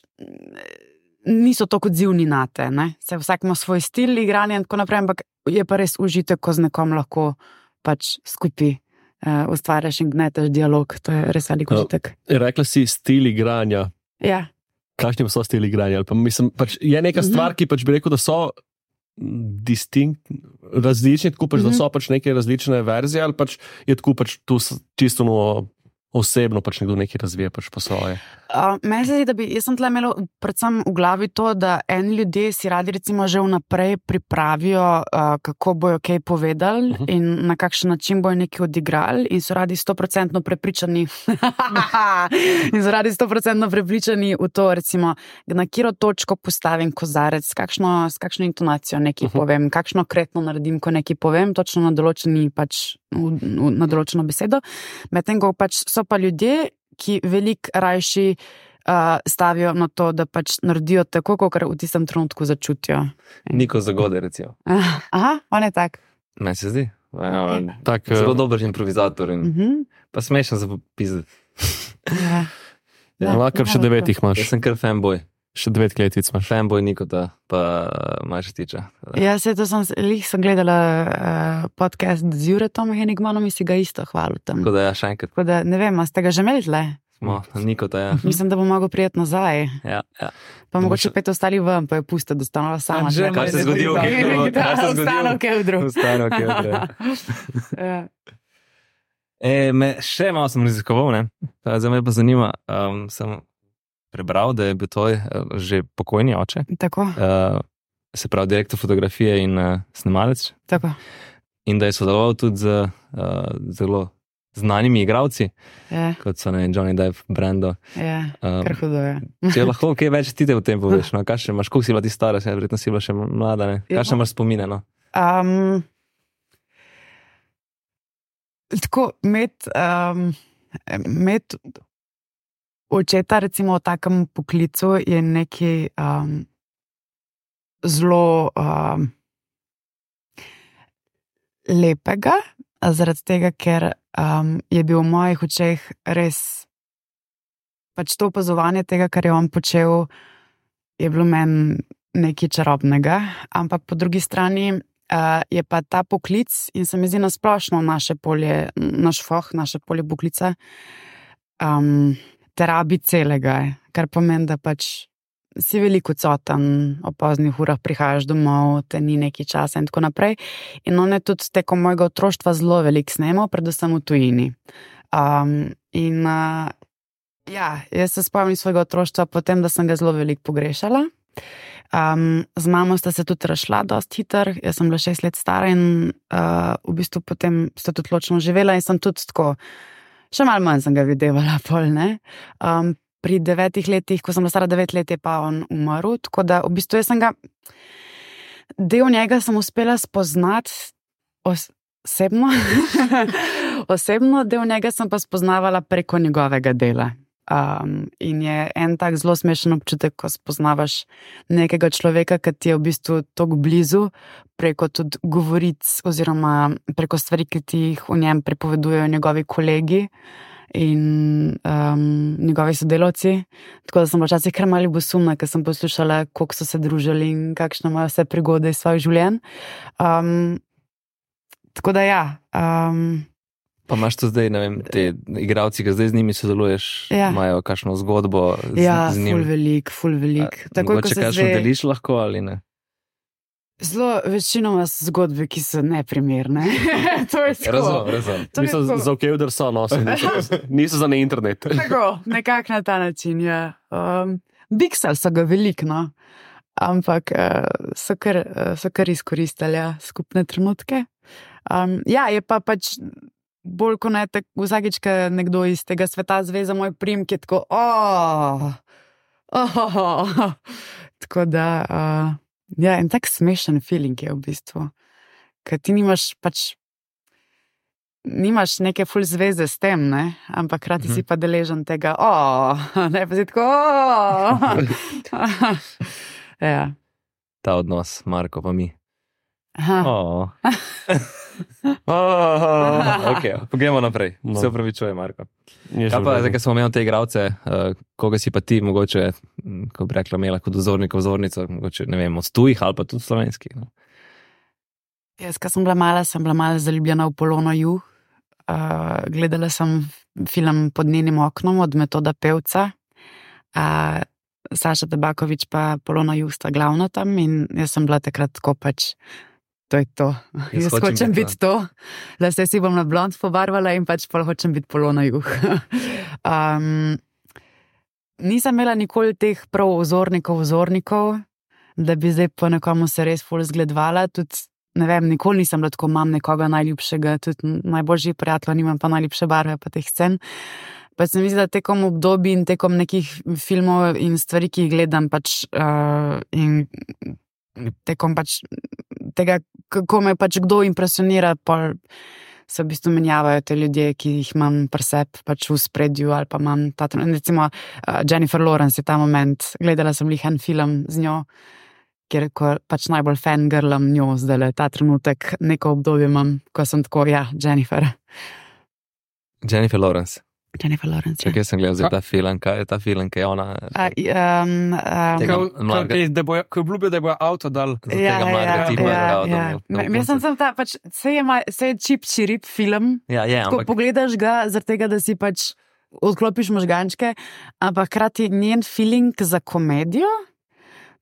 C: niso tako odzivni na te. Ne? Se vsak ima svoj stil igranja in tako naprej, ampak je pa res užitek, ko z nekom lahko pač skupaj uh, ustvarjaš in gneteš dialog. To je res velik
E: Ja.
C: užitek.
E: Rekla si stil igranja.
C: Ja.
E: Kakšni pa so stili igranja? Ali Pa, mislim, pač je neka
C: Mhm.
E: stvar, ki pač bi rekel, da so distinkt, različni, tako pač,
C: Mhm.
E: da so pač neke različne verzije, ali pač je tako pač tu s- čisto no, osebno pač nekdo nekaj razvije pač po svoje.
C: Uh, meni se zdi, da bi, jaz sem tle imela predvsem v glavi to, da eni ljudje si radi recimo že vnaprej pripravijo, uh, kako bojo kaj povedali
E: Uh -huh.
C: in na kakšen način bojo nekaj odigrali in so radi stoprocentno prepričani in so radi stoprocentno prepričani v to, recimo, na katero točko postavim kozarec, s kakšno, s kakšno intonacijo nekaj
E: Uh -huh.
C: povem, kakšno kretno naredim, ko nekaj povem, točno na določeni pač, v, v, na določeno besedo. Medtem ko pač so pa ljudje, ki veliko rajši uh, stavijo na to, da pač naredijo tako, kot v tistem trenutku začutijo.
B: Niko Zagode, recimo.
C: Aha, on je tak.
B: Meni se zdi. Ja, on-
E: Tak,
B: Zelo
E: eh,
B: dober improvizator in
C: Mhm.
B: pa smešen za popizdati.
C: Ja.
E: ja, ima kar še devetih imaš,
B: Jaz sem kar fanboy.
E: še devet kletvic imaš.
B: Fanboy Nikota, pa Majštiča.
C: Ja, se to sem, lih sem gledala uh, podcast z Juretom Henigmanom in si ga isto hvalil tam.
B: Tako da ja, še enkrat
C: Tako da ne vem, a ste ga že imeli tle?
B: smo Nikota, ja.
C: Mislim, da bo mogel prijeti nazaj.
B: Ja, ja.
C: Pa mogoče
E: Mogoče-
C: pet ostali ven, pa je pusta, da stanova sama.
D: Anže,
C: tle.
B: Kaj se je zgodilo? Kaj se je zgodilo?
C: Ostalo v kevdru.
B: Ostalo, kevdru.
C: Ja.
B: E, me še malo sem raziskoval, ne. Zdaj me pa zanima, um, sem prebral, da je bil tvoj uh, že pokojni oče.
C: Tako,
B: Uh, se pravi direktor fotografije in uh, snemalec.
C: tako.
B: In da je sodeloval tudi z uh, zelo znanimi igralci,
C: Ja,
B: kot so ne, Johnny Depp, Brando.
C: ja,
B: Um,
C: kar hudo je.
B: če lahko kaj več ti te v tem poveš, no, kakšne imaš, koliko si bila ti stara, se, verjetno si bila še mlada, ne?
C: Ja.
B: Kakšne imaš spomine, no?
C: Um, tako, imeti um, imet očeta, recimo, v takem poklicu je nekaj um, zelo um, lepega, zaradi tega, ker um, je bil v mojih očeh res pač to opazovanje tega, kar je on počel, je bilo meni nekaj čarobnega, ampak po drugi strani uh, je pa ta poklic in se mi zdi nasplošno naše polje, naš foh, naše polje poklica, um, terabi celega, kar pomeni, da pač si veliko odsoten, o poznih urah prihajaš domov, te ni nekaj časa in tako naprej. In on je tudi tekom mojega otroštva zelo veliko snemal, predvsem v tujini. Um, in uh, ja, jaz se spomnim svojega otroštva potem, da sem ga zelo veliko pogrešala. Um, z mamo sta se tudi razšla dosti hitro, jaz sem bila šest let stara in uh, v bistvu potem sta tudi ločno živela in sem tudi tako, še malo manj sem ga videvala pol, ne. Um, pri devetih letih, ko sem bila stara devet let, je pa on umrl, tako da v bistvu jaz sem ga, del njega sem uspela spoznati osebno, osebno, del njega sem pa spoznavala preko njegovega dela. Um, in je en tak zelo smešen občutek, ko spoznavaš nekega človeka, ki ti je v bistvu tako blizu, preko tudi govoric oziroma preko stvari, ki ti jih v njem prepovedujejo njegovi kolegi in um, njegovi sodelavci. Tako da sem bila včasih kar malo bosumna, ker sem poslušala, koliko so se družili in kakšne imajo vse prigode iz svojih življenj. Um, tako da ja. Um,
B: Pa imaš to zdaj, ne vem, te igralci, ki zdaj z njimi sodeluješ,
C: Ja.
B: imajo kakšno zgodbo z,
C: ja,
B: z
C: ful
B: njimi?
C: velik, ful velik. Takoj, ko
B: Mogoče
C: se
B: kakšno
C: zve-
B: deliš lahko ali ne?
C: Zelo večinoma so zgodbe, ki so neprimerne. To je tako.
E: Razumem, razumem.
C: To je
E: Mislim,
C: tako.
E: za okevder so, no, so, niso, niso za na internet.
C: Tako, nekako na ta način, ja. Um, Biksali so ga veliko, no. Ampak uh, so, kar, uh, so kar izkoristili ja, skupne trenutke. Um, ja, je pa pač bolj kot ne, tako vsakič, ko nekdo iz tega sveta zve za moj priimek, je tako, oh, oh, tako da, uh, ja, en tak smešen feeling je v bistvu, ker ti nimaš pač, nimaš neke ful zveze s tem, ne, ampak hkrati si pa deležen tega, oh, ne, pa si tako, oh. Ja.
B: Ta odnos, Marko pa mi.
C: Aha.
B: Oh. oh, ok, pogremo naprej.
E: No.
B: Se upravičujem, Marko.
E: Je že
B: Kaj
E: v
B: pa,
E: redu.
B: zdaj, ko smo imeli te igralce, uh, koga si pa ti, mogoče, m, ko bi rekla, imela kot vzornika, vzornico, mogoče, ne vem, od tujih ali pa tudi slovenskih. No?
C: Jaz, ko sem bila mala, sem bila malo zaljubljena v Polono Juh. Uh, gledala sem film Pod njenim oknom od Metoda Pevca. Uh, Saša Tabaković pa Polona Juh sta glavno tam in jaz sem bila takrat tako pač, to je to.
B: Jaz
C: Jaz
B: hočem
C: hočem
B: biti
C: biti to, da se si bom na blond pobarvala in pač pol hočem biti Polona Juh. um, nisem imela nikoli teh prav vzornikov, vzornikov, da bi zdaj po nekomu se res ful zgledvala, tudi ne vem, nikoli nisem bila tako, imam nekoga najljubšega, tudi najboljši prijatelj, nimam pa najljubše barve pa teh scen. Pa se mi zdi, da tekom obdobij in tekom nekih filmov in stvari, ki jih gledam, pač uh, in tekom pač tega, kako me pač kdo impresionira, pol se v bistvu menjavajo te ljudje, ki jih imam pri sebi pač v spredju ali pa imam ta trenutek. Recimo uh, Jennifer Lawrence je ta moment, gledala sem lih en film z njo, kjer ko pač najbolj fangirlam njo zdaj, ta trenutek, neko obdobje imam, ko sem tako, ja, Jennifer.
B: Jennifer Lawrence.
C: Jennifer Lawrence.
B: Čakaj, sem gledal zdaj ta film, kaj je ta film, kaj je ona.
C: A, um, um,
B: Tega
D: Ko- ko-
B: mladega-
D: da bojo- Ko obljubijo, da bojo avto dal.
B: Za tega mladega tipa,
C: ja,
B: da,
C: ja.
B: da, da,
C: Jaz sem sem ta, pač, se je, ma- se je čip čirip film,
B: Ja, je,
C: ko
B: ampak
C: pogledaš ga, zaradi tega, da si pač odklopiš možgančke, ampak hkrati njen feeling za komedijo,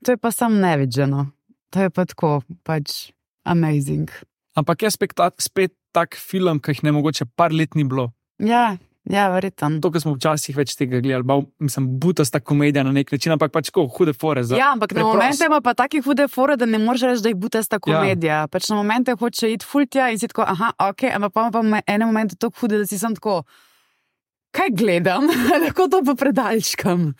C: to je pa sam nevidženo. To je pa tako, pač amazing.
D: Ampak je spet, ta, spet tak film, ki jih ne mogoče par let ni bilo.
C: Ja, ja, verjetno.
D: To, kar smo včasih več tega gledali, ba, mislim, butasta komedija na nek način, ampak pač ko hude fore. Za,
C: ja, ampak na momente ima pa taki hude fore, da ne moreš reči, da je butasta komedija. Ja. Pač na momente hoče iti fultja in si tako, aha, ok, ampak pa ima pa ene momente tako hude, da si sem tako, kaj gledam, lahko to pa predaljškam.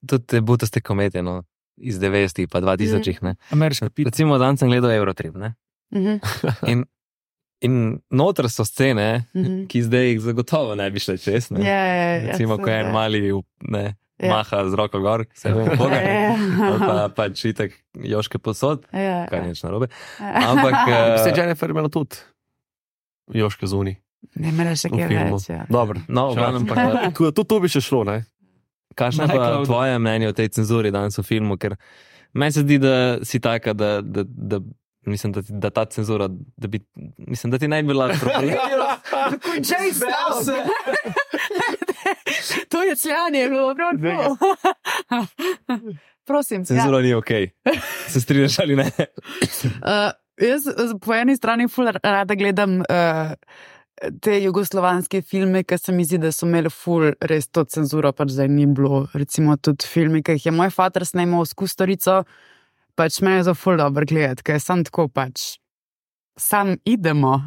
B: Tudi butaste komedije, no, iz devetdesetih pa dva tisočih, ne.
D: Ameriška pita.
B: Recimo, dan sem gledal Eurotrip, ne.
C: Mhm.
B: In In noter so scene,
C: Mhm.
B: ki zdaj jih zagotovo ne bi šle čez. Ne?
C: Ja, ja, ja,
B: Recimo, ko je en
C: seveda.
B: mali ne,
C: Ja.
B: maha z roko gor, se vem, boga.
C: Ja.
B: Ali pa pač itak Joške posod,
C: Ja,
B: kar
C: ja.
B: nič narobe. Ampak
E: Se je
B: uh,
E: Jennifer imela tudi Joške zuni
C: Ne imela še
E: v
C: kaj
E: filmu.
C: več, ja.
E: Dobro.
B: no, v glavnem pa uh,
E: Tu, tu, tu bi še šlo, ne?
B: kakšno je pa
D: Najcloud.
B: tvoje mnenje o tej cenzuri danes v filmu, ker meni se zdi, da si taka, da, da, da mislim, da, ti- da ta cenzura, da bi, mislim, da ti ne bi bila problema.
C: Končaj se! To je cljanje, je bilo prav tako. Prosim.
B: Cenzura ni okej. Se strinjaš ali ne?
C: Uh, jaz z- po eni strani ful rada gledam uh, te jugoslovanske filme, ker se mi zdi, da so imeli ful res to cenzuro, pač zdaj ni bilo. Recimo tudi filmi, ki jih je moj fater snemal s Kusturico, pač me je za ful dobro gledati, ker sem tako pač sam idemo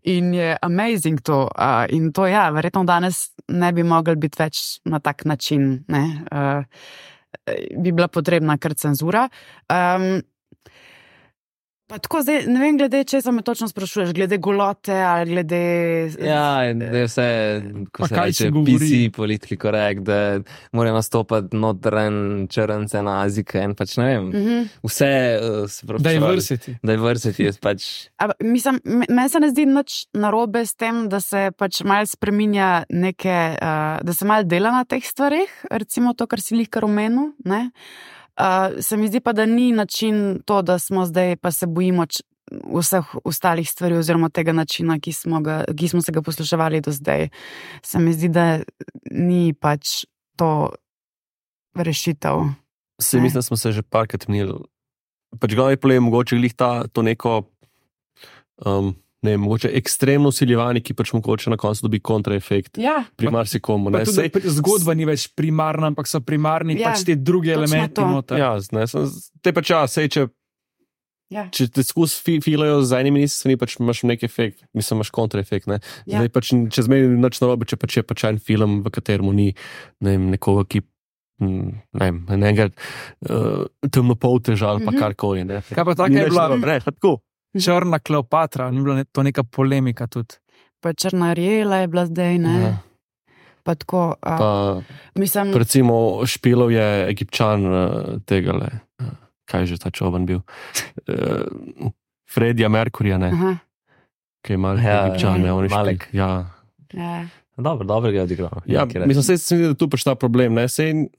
C: in je amazing to. Uh, in to ja, verjetno danes ne bi mogli biti več na tak način, ne. Uh, bi bila potrebna kar cenzura. Um, pa tako zdaj, ne vem, glede česa me točno sprašuješ, glede golote ali glede...
B: Ja, in da je vse, ko
D: Pa
B: se
D: kaj
B: reče,
D: se govori?
B: P C, politiki korekt, da mora nastopati notren črnce na azike in pač ne vem,
C: Mhm.
B: vse uh, se pravi.
D: Diversity.
B: Diversity je pač,
C: A, mislim, me- meni se ne zdi nič narobe s tem, da se pač malo spreminja neke, uh, da se malo dela na teh stvareh, recimo to, kar si lihkar omenil, ne. Uh, se mi zdi pa, da ni način to, da smo zdaj pa se bojimo č- vseh ostalih stvari oziroma tega načina, ki smo, ga, ki smo se ga posluševali do zdaj. Se mi zdi, da ni pač to rešitev.
E: Se
C: Ne.
E: mislim, da smo se že parkrat menili. Pač glavni problem je mogoče glih ta, to neko, um, ne vem, mogoče ekstremno usiljevanje, ki pač mogoče na koncu dobi kontraefekt
C: Ja,
E: pri marsikomu.
D: Pa
E: Ne,
D: tudi,
E: sej,
D: pri- zgodba ni več primarna, ampak so primarni
C: Ja,
D: pač ti drugi
C: točno
D: elementi
C: to.
D: noter.
E: ja, ne, sem, te pač ja, sej, če,
C: ja.
E: če te skus fi, filajo z enimi ministrstvi, pač imaš nek efekt, mislim, imaš kontraefekt. Ne.
C: Ja.
E: Zdaj pač, če zmeni nič narobe, če pač je pač en film, v katerem ni ne vem, nekoga, ki mm, ne vem, enega uh, temnopolteža ali pa
C: Mhm.
E: karkoli. Ne.
D: Kaj pa taka
E: Ni
D: je
E: nič
D: bila
E: narobe, ne, pa tako.
D: Črna Kleopatra, ni bila ne, to neka polemika tudi.
C: Pa Črna Rijela je bila zdaj, ne.
E: Ja.
C: Pa tako, a,
E: Pa,
C: mislim,
E: recimo, Špilov je Egipčan uh, tega le, uh, kaj je že ta čoban bil. Uh, Fredija Merkurja, ne,
C: aha,
E: ki je mal
B: Ja,
E: Egipčan, ne, on je
B: Malek.
E: Špil. Ja,
C: ja.
B: dobro, dobro ga je odigral.
E: ja
B: Nekaj reči.
E: mislim, sej se mi zdi, da tu pač ta problem, ne, sej,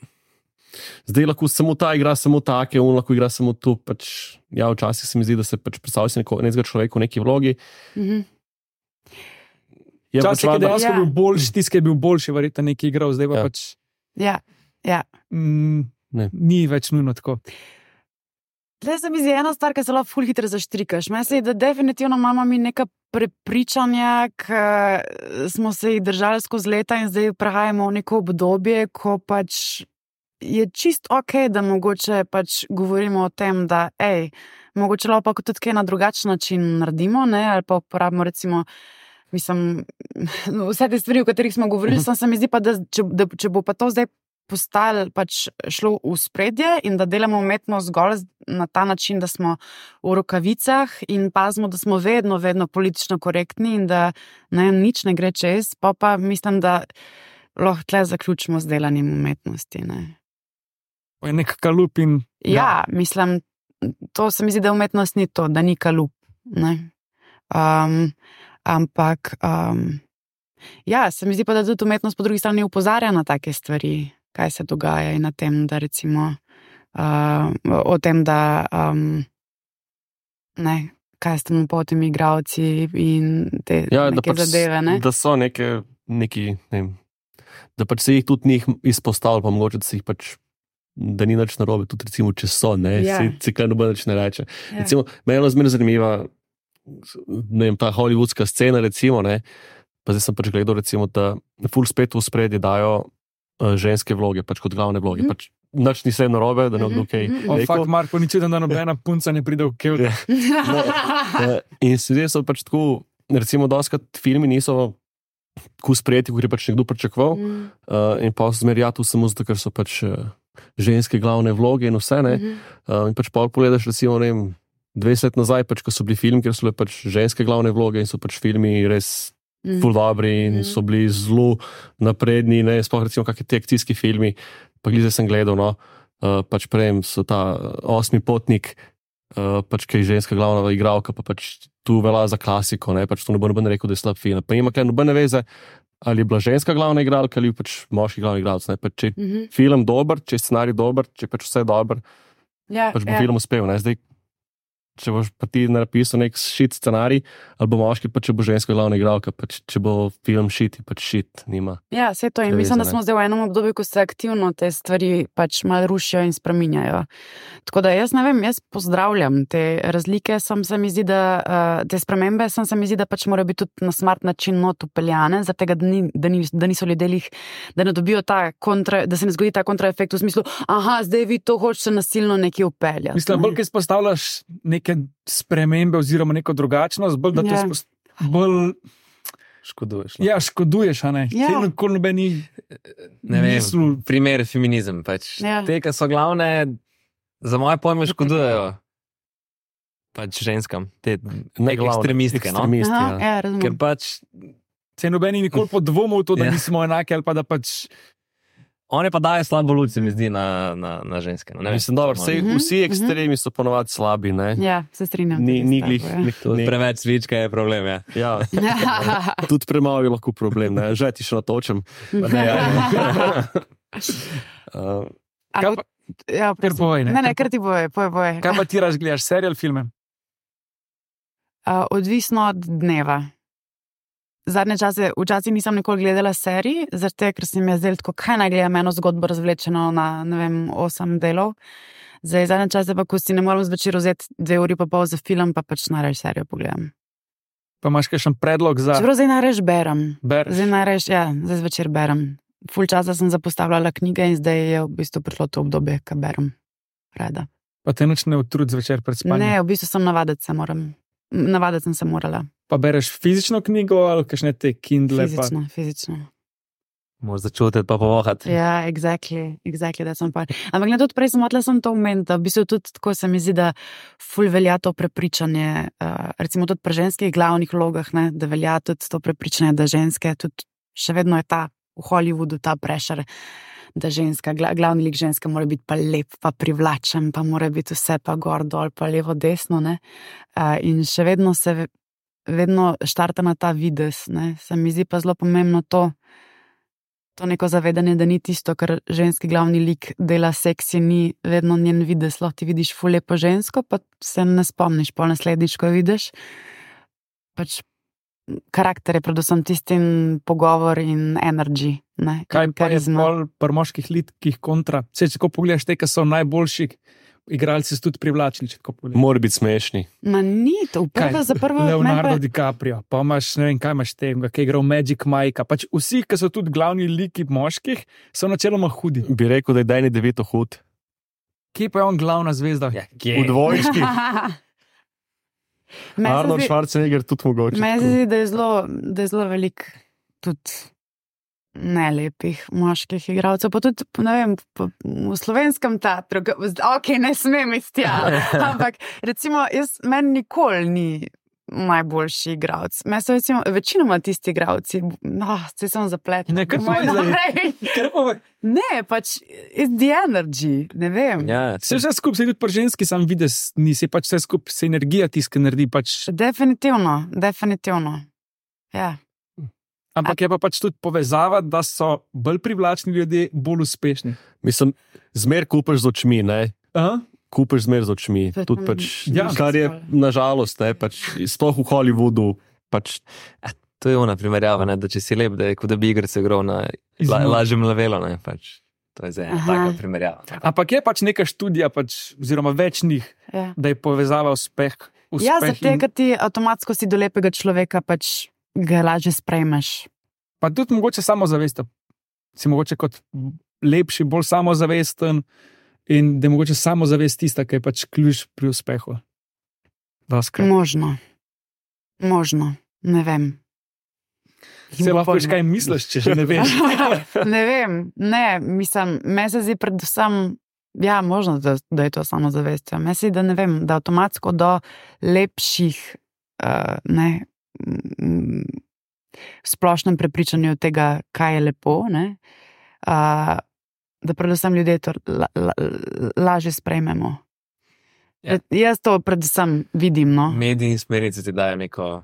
E: zdaj lahko samo ta igra samo take, on lahko igra samo tu, pač, ja, včasih se mi zdi, da se pač predstavlja neko, nekega človeka v neki vlogi.
C: Mhm.
E: Je pač
D: Včasih je
E: valjda-
D: dejansko
C: Ja.
D: bil boljši, tisti, ki je bil boljši, verjetno neki igral, zdaj pa
E: Ja.
D: pač
C: Ja, ja.
D: mm,
E: Ne.
D: ni več nujno tako.
C: Tle se mi zdi ena stvar, ki se lahko ful hitro zaštrikaš. Meni se zdi, da definitivno imamo mi neka prepričanja, ki smo se jih držali skozi leta in zdaj prehajamo v neko obdobje, ko pač je čist ok, da mogoče pač govorimo o tem, da ej, mogoče lahko pa tudi kaj na drugačen način naredimo, ne, ali pa uporabimo recimo Mislim, vse te stvari, o katerih smo govorili, sem se mi zdi pa, da če, da če bo pa to zdaj postalo pač šlo v spredje in da delamo umetnost zgolj z- na ta način, da smo v rokavicah in pazimo, da smo vedno, vedno politično korektni in da ne, nič ne gre čez, pa pa mislim, da lahko tle zaključimo z delanjem umetnosti. Ne.
D: To je nek kalup in
C: Ja, mislim, to se mi zdi, da umetnost ni to, da ni kalup. Ne. Um, ampak, um, ja, se mi zdi pa, da tudi umetnost po drugi strani opozarja na take stvari, kaj se dogaja in na tem, da recimo uh, o tem, da um, ne, kaj s tem potimi igravci in te
E: Ja, da,
C: neke
E: pač,
C: zadeve, ne?
E: da so neke, neki, ne vem, da pač se jih tudi njih izpostavlja, pa mogoče da se jih pač, da ni nič narobe, tudi recimo, če so, ne,
C: Ja.
E: se cikaj noben nič ne reče.
C: Ja.
E: Recimo, meni je zmeraj zanimiva ne vem, ta hollywoodska scena, recimo, ne, pa zdaj sem pač gledal, recimo, da ful spet v spredje dajo uh, ženske vloge, pač kot glavne vloge. Mm. Pač, nič ni se narobe, da ne bo kaj.
D: O, fakt, Marko, ni čuden, da nobena punca ne pride v Kevda.
E: In zdaj so pač tako, recimo, doskrat filmi niso tako sprejeti, kot je pač nekdo pričakoval. Mm. Uh, in pa zmerja tu samo zato, ker so pač uh, ženske glavne vloge in vse, ne. Mm-hmm. Uh, in pač pa pogledaš, recimo, ne vem, dvajset let nazaj, pač, ko so bili filmi, ker so bile pač ženske glavne vloge in so pač filmi res mm. ful dobri in mm. so bili zelo napredni, ne, sploh recimo kakšni ti akcijski filmi, pa glede sem gledal, no, uh, pač prej so ta Osmi potnik, uh, pač kaj je ženska glavna igralka, pa pač tu velja za klasiko, ne, pač to ne bo noben rekel, da je slab film, pa ima kaj nobene veze, ali je bila ženska glavna igralka ali pač moški glavni igralec, ne, pač če je mm-hmm. film dober, če je scenarij dober, če je pač vse dober,
C: ja,
E: pač bo
C: ja.
E: film uspel, ne, zdaj če boš pa ti napisal nek shit scenarij, ali bo moški, pa če bo ženska glavna igralka, pa če bo film shit, pa shit nima.
C: Ja, vse to in mislim, da smo zdaj v enem obdobju, ko se aktivno te stvari pač malo rušijo in spreminjajo. Tako da jaz ne vem, jaz pozdravljam te razlike, sem se mi zdi, da uh, te spremembe, sem se mi zdi, da pač mora biti tudi na smart način not upeljane, zaradi tega, da, ni, da, ni, da niso ljudje lih, da ne dobijo ta kontra, da se ne zgodi ta kontraefekt v smislu, aha, zdaj vi to hočete nasilno nekje upeljati.
D: Mislim,
C: ne?
D: bolj, ki izpostavljaš neke spremembe oziroma neko drugačnost, bolj da to
C: Ja.
D: spost... bolj...
B: Škoduješ. No?
D: Ja, škoduješ, a ne?
C: Ja.
D: Saj nikoli noben ni
B: Ne vem,
D: mislil.
B: primer feminizem. Pač.
C: Ja.
B: Te, ki so glavne, za moje pojme škodujejo pač ženskam, te
E: Ne glavne,
B: ekstremistke. No?
E: ekstremisti,
C: Aha,
E: ja.
C: ja, razumem.
B: Ker pač
D: Saj noben ni nikoli podvomil v to, da
B: Ja.
D: nismo enaki ali pa da pač...
B: one pa dajo slabo luč, se mi zdi, na, na, na ženske. No? Ne vem,
E: Mislim, dobro,
B: to
E: vse,
C: Mhm,
E: vsi ekstremi so ponovadi slabi, ne.
C: Ja, se strinjam.
E: Ni,
C: tudi
E: ni
C: s
E: glih,
C: tabo, ja.
E: glih
B: To
E: ni,
B: preveč svička je problem, ja.
E: ja. Tudi premalo je lahko problem, ne, že ti še natočem. Pa ne, ja. uh,
C: A,
D: Kaj pa-
C: ja,
D: Ker povej, ne.
C: ne, ne, kar ti boje, poje, poje.
D: Kaj pa ti raš gledaš, serial, filme?
C: Uh, odvisno od dneva. Zadnje čase, včasih nisem nikoli gledala serij, zato ker se mi je zdelo tako, kaj naj gledam eno zgodbo razvlečeno na, ne vem, osem delov. Zdaj, zadnje čase pa, ko si ne morem zvečer vzeti dve uri pa pol za film, pa pač najraje serijo pogledam.
D: Pa imaš kakšen predlog za...
C: Čeprav zdaj najraje berem.
D: Bereš?
C: Zdaj najraje, ja, zdaj zvečer berem. Ful časa sem zapostavljala knjige in zdaj je v bistvu prišlo to obdobje, ko berem rada.
D: Pa te nič ne utrud zvečer pred spanjem?
C: Ne, v bistvu sem navaditi se moram. Navaditi sem se morala.
D: Pa bereš fizično knjigo ali kakšne te Kindle?
C: Fizično, fizično.
B: Moraš začutiti pa povohati.
C: Ja, exactly, exactly, da sem pa. Ampak ne, tudi prej sem hotela sem to omeniti, da v bistvu tudi tako se mi zdi, da ful velja to prepričanje, uh, recimo tudi pri ženskih glavnih vlogah, ne, da velja tudi to prepričanje, da ženske tudi še vedno je ta v Hollywoodu ta pressure, da ženska, gla, glavni lik ženske mora biti pa lep, pa privlačen, pa mora biti vse pa gor dol, pa levo desno, ne. Uh, in še vedno se vedno štarta na ta videz, ne. Se mi zdi pa zelo pomembno to, to neko zavedanje, da ni tisto, kar ženski glavni lik dela seksi, ni vedno njen videz, lahko ti vidiš ful lepo žensko, pa se ne spomniš, pol naslednjič, ko jo vidiš. Pač karakter je predvsem tistin pogovor in energy, ne,
D: Kaj
C: in
D: pa je
C: karizma.
D: bolj pri moških likih kontra? Vse, če tako pogledaš te, ki so najboljši igralci, so tudi privlačni, če tako pogledaš.
E: Mora biti smešni.
C: Ma ni to, prva za prvo...
D: Leonardo
C: meni pa-
D: DiCaprio, pa imaš, ne vem, kaj imaš tega, ki je igral Magic Mike'a. Pač vsi, ki so tudi glavni liki moških, so načeloma hudi.
E: Bi rekel, da je Danny DeVito hud.
D: Kje pa je on glavna zvezda?
B: Ja,
E: V dvojčki.
C: Meni se
E: Arnold
C: zdi-
E: Schwarzenegger tudi mogoče.
C: Meni se
E: tako.
C: zdi, da je zelo, da je zelo velik tudi nelepih moških igralcev, pa tudi, ne vem, po, v slovenskem teatru, ga- ok, ne smem iti tja, ampak recimo, jaz, meni nikoli ni najboljši igralec. Meni so recimo, večinoma tisti igralci, no, se sem zapletel.
D: Ne, kar
C: Moj
D: povej zdaj.
C: naprej. Ne, pač, it's the energy, ne vem.
B: Ja,
D: Vse vse skupaj, se tudi pri ženski sam videz, nisi pač vse skupaj, se energija tiska naredi, pač,
C: Definitivno, definitivno. Ja.
D: ampak je pa pač tudi povezava, da so bolj privlačni ljudje, bolj uspešni.
E: Mislim, zmer kupaš z očmi, ne?
D: Aha.
E: Kupaš zmer z očmi.
C: To je
E: Tudi
C: tam-
E: pač,
D: Ja.
E: kar je nažalost, ne, pač, sploh v Hollywoodu, pač
B: to je ona primerjava, ne, da če si lep, da je kot da bi igrce igral na la,
D: Izmo-
B: lažjem levelu. Ne, pač. To je zdaj ena
C: Aha.
B: taka primerjava.
D: Ampak je pač neka študija, pač, oziroma več njih,
C: Ja.
D: da je povezava uspeh. uspeh.
C: Ja, zato
D: in-
C: ker ti avtomatsko si do lepega človeka pač ga lažje sprejmeš.
D: Pa tudi mogoče samozavest. Si mogoče kot lepši, bolj samozavesten in da je mogoče samozavest tista, ki je pač ključ pri uspehu. Doskrat.
C: Možno. Možno. Ne vem.
D: Se lahko veš, kaj misliš, če že ne veš.
C: Ne vem, ne, mislim, meni se zdi predvsem, ja, možno, da, da je to samozavest. Meni se zdi, da ne vem, da avtomatsko do lepših, uh, ne, mm, v splošnem prepričanju tega, kaj je lepo, ne, uh, da predvsem ljudje to la, la, lažje sprejmemo.
B: Ja.
C: Jaz to predvsem vidim, no.
B: Mediji in smernice ti dajo neko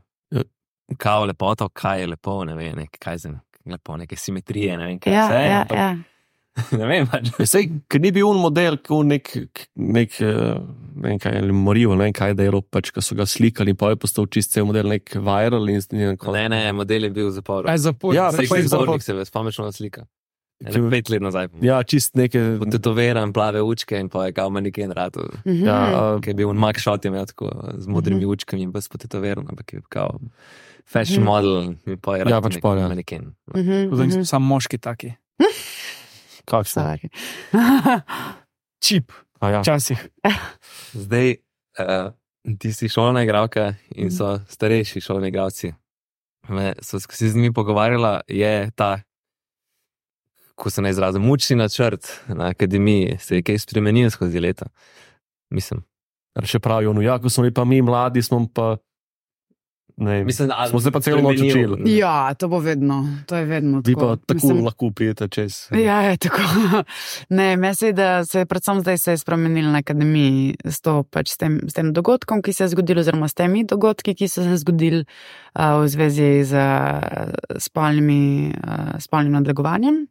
B: kao lepoto, kaj je lepo, ne vem, nek, kaj je lepo, neke simetrije, ne vem, kaj
C: Ja,
B: vse.
C: ja,
B: ampak
C: ja.
B: Ne vem, pač.
E: Sej, ker ni bil un model, kot nek, nek eh, ne vem kaj, ali morijo, ne vem kaj, da je rop, pač, ko so ga slikali in pa je postal čist cel model, nek viral in, in
B: Ne, ne, model je bil v zaporu.
D: Aj zapor.
E: Ja,
B: Saj
E: pa je zapor.
B: zapornik se spomniš na slika. Ene Pet let nazaj.
E: Ja, čist neke.
B: Potetoviran, plave učke in pa je kao maneken ratu.
C: Mhm.
E: Ja, uh,
B: Ki je bil Max Shot, je imel tako z modrimi
C: Mhm.
B: učkami in pa s potetoviran, ampak je kao fashion model in pa je
E: Ja,
B: rad
E: pač pol, ja.
B: maneken.
C: Mhm,
D: Zdaj
C: mhm.
D: so samo moški taki.
E: kakšno?
C: Sorry.
D: Čip,
E: A ja.
D: včasih.
B: Zdaj, uh, ti si šolna igralka in so starejši šolni igralci. Me, so se z njimi pogovarjala, je ta, ko se ne izrazim, mučni načrt na akademiji, se je kaj spremenil skozi leta. Mislim,
E: Še pravijo, no ja, ko smo bili pa mi mladi, smo pa, ne,
B: mislim da,
E: smo se pa celo noč
B: spremenil.
E: učili.
C: Ja, to bo vedno, to je vedno
E: Vi
C: tako.
E: pa tako
C: Mislim,
E: lahko prijete čez.
C: Ja, je tako. Ne, mislim, da se je predvsem zdaj se je spremenilo na akademiji s, to, pač, s, tem, s tem dogodkom, ki se je zgodil, oziroma s temi dogodki, ki so se zgodili uh, v zvezi z uh, spolnimi, uh, spolnim nadlegovanjem.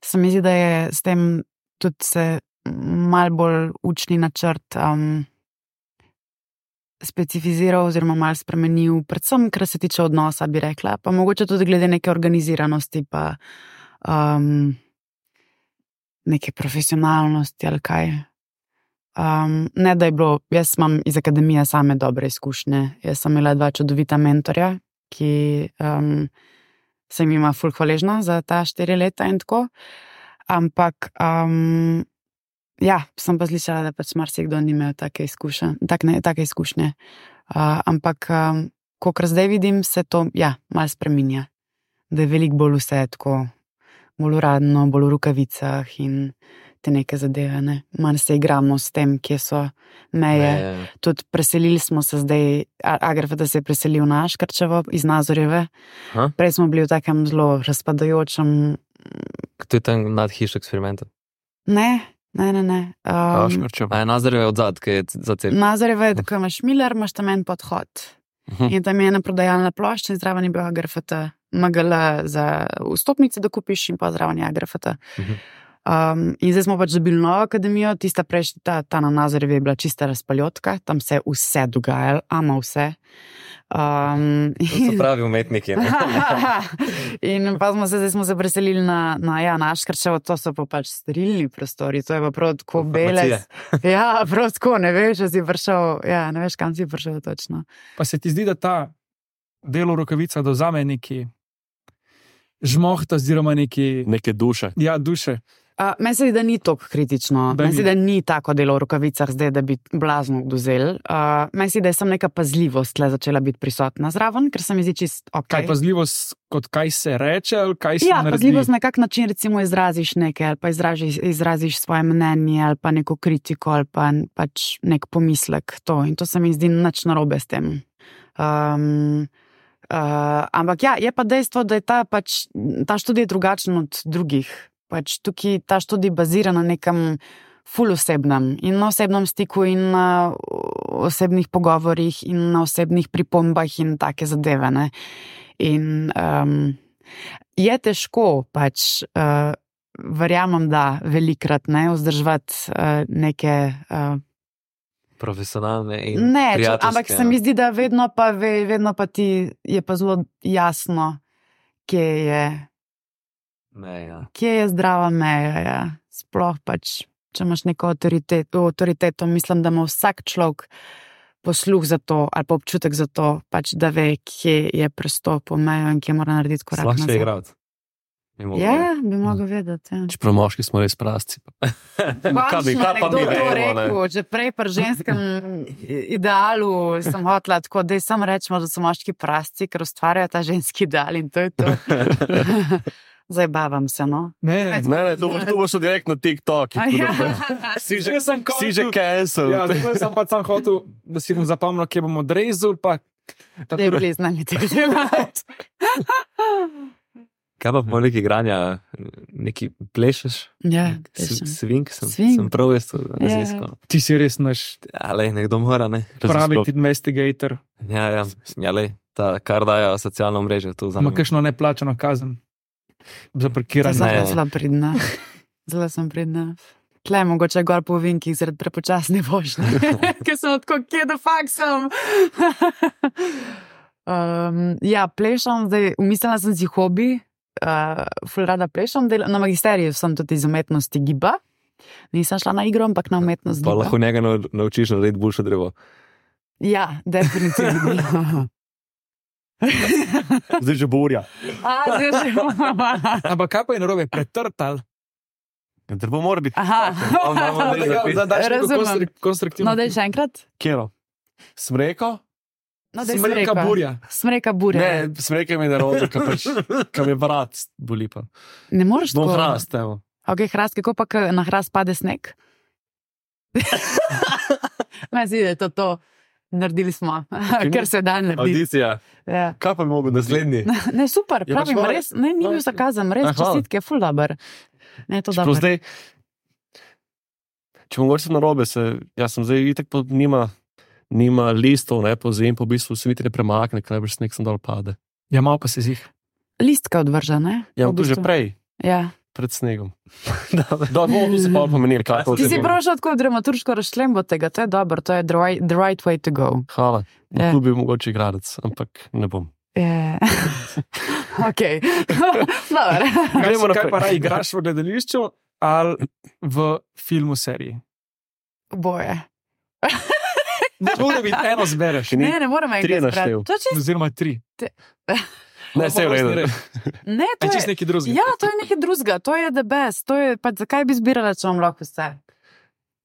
C: Se mi zdi, da je s tem tudi se mal bolj učni načrt um, specifiziral oziroma mal spremenil, predvsem, kar se tiče odnosa, bi rekla, pa mogoče tudi glede neke organiziranosti, pa um, neke profesionalnosti ali kaj. Um, ne, da je bilo, jaz imam iz akademije same dobre izkušnje. Jaz sem imela dva čudovita mentorja, ki um, sem jima ful hvaležna za ta štiri leta in tako. Ampak um, ja, sem pa slišala, da pač marsikdo ni imel take izkušnje. Tak, ne, take izkušnje. Uh, ampak, um, kolikor zdaj vidim, se to ja, malo spreminja. Da je veliko bolj vse tako, bolj uradno, bolj v rokavicah in te neke zadeve. Ne. Malo se igramo s tem, kje so meje.
B: Ne,
C: Tudi preselili smo se zdaj, Agrafeta se je preselil na Škrčevo iz Nazorjeve.
B: Aha.
C: Prej smo bili v takem zelo razpadajočem.
B: to je tam nad hišo eksperimenta.
C: Ne, ne, ne. ne. Um,
E: Aškarčev.
B: A je Nazarjev odzad, ki je za cel.
C: Nazorjeva je tako, imaš Miller, imaš tam en podhod.
E: Mhm.
C: In tam je ena prodajalna plošča in zraven je bil Agrafeta, M G L za vstopnice, da kupiš in pa zraven je Agrafeta.
B: Mhm.
C: Um, in zdaj smo pač dobili novo akademijo, tista prejšnja, ta, ta na Nazarjevi je bila čista razpaljotka, tam se je vse dogajalo, ama vse. Um,
B: To so pravi umetniki. Ne?
C: in pa smo se, zdaj smo se preselili na, na, ja, na Škrčevo, to so pa pač sterilni prostori, to je pa prav tako bele. Ja, prav tako, ne veš, če si prišel, ja, ne veš, kam si prišel točno.
D: Pa se ti zdi, da ta delo rokavica dozame neki žmohta oziroma neki,
E: Neke duše.
D: ja, duše.
C: Uh, meni se zdi, da ni tako kritično.
D: Da
C: Meni se
D: ni.
C: zdi, da ni tako delo v rokavicah zdaj, da bi blazno dozel. Uh, meni se zdi, da je sem neka pazljivost tle začela biti prisotna zraven, ker se mi zdi čist ok.
D: Kaj pazljivost, kot kaj se reče, ali kaj se
C: Ja,
D: naredi?
C: pazljivost na kak način recimo izraziš nekaj, ali pa izražiš, izraziš svoje mnenje, ali pa neko kritiko, ali pa pač nek pomislek. To. In to se mi zdi nič narobe s tem. Um, uh, ampak ja, je pa dejstvo, da je ta, pač, ta študij drugačen od drugih. Pač tukaj ta študij bazira na nekem ful osebnem in na osebnem stiku in na osebnih pogovorih in na osebnih pripombah in take zadeve. Ne? In um, je težko pač, uh, verjamem, da velikrat ne, vzdrževati uh, neke uh,
B: Profesionalne in
C: ne, če,
B: prijateljske.
C: ampak se mi zdi, da vedno pa, ve, vedno pa ti je pa zelo jasno, kje je,
B: Ne, ja.
C: kje je zdrava meja. Ja. Sploh pač, če imaš neko avtoriteto, avtoriteto, mislim, da ima vsak človek posluh za to, ali pa občutek za to, pač, da ve, kje je prestopil mejo in kje mora narediti korak
E: Slahše
C: nazaj.
E: igrati.
C: Ja, bi mogel vedeti. Ja.
E: Čeprav moški smo res prasci. Kaj bi, kaj pa
C: Nekdo
E: mi
C: to
E: vemo, ne?
C: rekel, že prej pri ženskem idealu sem hotla, tako da sam rečemo, da so moški prasci, ker ustvarjajo ta ženski ideal in to je to. Zabavam se, no.
D: Ne, ne,
E: Ne, ne, to boš, to boš direkt na TikTok.
C: A ja.
E: Si že,
D: Jaz sem
E: si že
D: kontu-
E: cancel.
D: Ja, zato sem pa sam hotel, da si bom zapomnil, kje bomo odrezali, pa
C: Da je bili z nami tega delati.
B: Kaj pa poleg igranja, neki plešeš?
C: Ja,
B: S-
C: plešem.
B: Svink sem,
C: Svink.
B: sem prav jaz to
C: Ja.
B: raziskal.
D: ti si res naš
B: Ale, nekdo mora, ne?
D: pravi
E: Raziskal.
D: investigator.
B: Ja, ja, ja lej, ta, kar dajo socialno mrežo, to za
D: Ima
B: me.
D: kakšno neplačano kazen za
C: To
D: parkiranje.
C: sem
B: Ne.
C: zelo pridna. Zelo sem pridna. Tle mogoče gor po vinkih zaradi prepočasne vožnje. Ker sem tako, kje da fakt sem. um, ja, plešam, zdaj umislila sem si hobi. Uh, ful rada plešam, del, na magisteriju sem tudi iz umetnosti giba. Nisem šla na igro, ampak na umetnost
B: Pa
C: giba.
B: lahko njega nau- naučiš narediti boljše drevo.
C: Ja, definitivno.
E: Zdaj že burja.
C: A, zdaj že-
D: Ampak kaj pa je narobe, pretrtal?
E: Drevo mora biti.
C: Aha.
D: Da daš neko
C: Razumem.
D: konstru- konstruktivno.
C: No, daj še enkrat.
E: Kjero? Smreko?
C: No, daj
D: Smreka
C: smreka.
D: burja.
C: Smreka burja.
E: Ne, smreka mi je narobe, ker pač, ker mi vrat boli pa.
C: Ne moreš
E: Bom
C: tako.
E: hrast, evo.
C: Ok, hrast, kako pa ko na hrast pade sneg? Meni se zdi, da je to to. Naredili smo, ker se da narediti.
B: Audicija,
C: Ja.
E: Kaj pa bi mogel
B: naslednji.
C: Ne, super,
E: Je pač
C: pravim,
E: hvala-
C: res, ne, ni bil zakazan, res
E: A, hvala.
C: čestitke, ful dober. Ne, to
E: Čeprav
C: dobro.
E: zdaj, če mogoče sem narobe, se, jaz sem zdaj itak pa nima, nima listov, ne, po zim, po v bistvu se niti ne premakne, ker najbrž sneg sem dol pade.
D: Ja, malo pa se zih.
C: Listka odvrža, ne?
E: Ja,
C: V
E: tu že
C: bistvu.
E: prej,
C: Ja.
E: pred snegom. Da, bomo tu se pa pomenili, kaj to
C: Ti si
E: je.
C: prav šel tako dramaturško razšlembo tega, to je dobro, to je the right, the right way to go.
E: Hvala.
C: Ja.
E: Tu bi mogoče igralec, ampak ne bom.
C: Je. Ok, dobro.
D: Kaj,
E: Gremo
D: si- kaj
E: naprej.
D: pa raj igraš v gledališču ali v filmu seriji?
C: Boje.
D: Mora biti eno zbereš.
E: Ni-
C: Ne, ne morem
E: tri je
C: enkrat zbrati.
E: naštel.
C: To je čist,
D: Oziroma tri.
E: Ne, vse je v redu.
C: ne, to
D: Je
C: je,
D: čist neki drugi.
C: ja, to je nekaj drugega, to je the best, to je, pa zakaj bi zbirala, če vam lahko vse?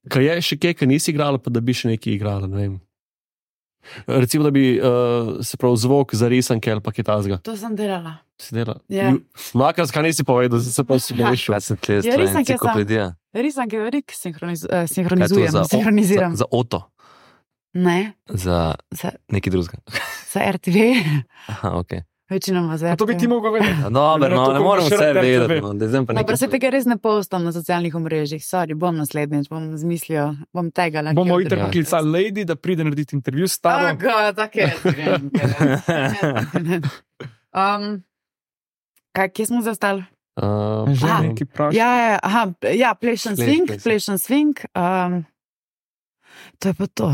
E: Kaj je še kaj, kar nisi igrala, pa da bi še nekaj igrala, ne vem. Recimo, da bi uh, se prav zvok za risanke ali pa kaj tazga.
C: To sem delala.
E: Si dela?
C: Ja.
E: Makar, kaj nisi povedal, zdaj se pa si grešil.
B: Kaj sem tle,
C: Ja, res sem, kje sem.
B: enciklopedija.
C: Risanke, rik sinhroniz,
B: Kaj je
C: eh,
B: to
C: sinhronizujem,
B: za,
C: sinhroniziram.
B: za, za oto,
C: Ne,
B: za
C: za,
B: nekaj drugega.
C: za R T V,
B: Aha, ok.
C: večinoma za
D: A
C: R T V.
D: to bi ti mogel vedeti.
B: Ja, Dober, no, ne
D: Tako
B: morem
D: boš
B: vse
D: rad R T V.
B: vedeti. No, da zdaj pa
C: Dobro, se
B: nekaj.
C: tega res ne postam na socialnih omrežjih, sorry, bom naslednjič, bom zmislil, bom tega lahko.
D: Bomo itak poklicali Lady, da pride narediti intervju s tabo.
C: Tako, tako je. um, kaj, kje smo zastali?
E: Uh,
D: Že
C: Aha.
D: neki praš.
C: Ja, ja, aha, ja, plešen
B: Pleš,
C: swing,
B: pleš.
C: plešen swing. Um, to je pa to.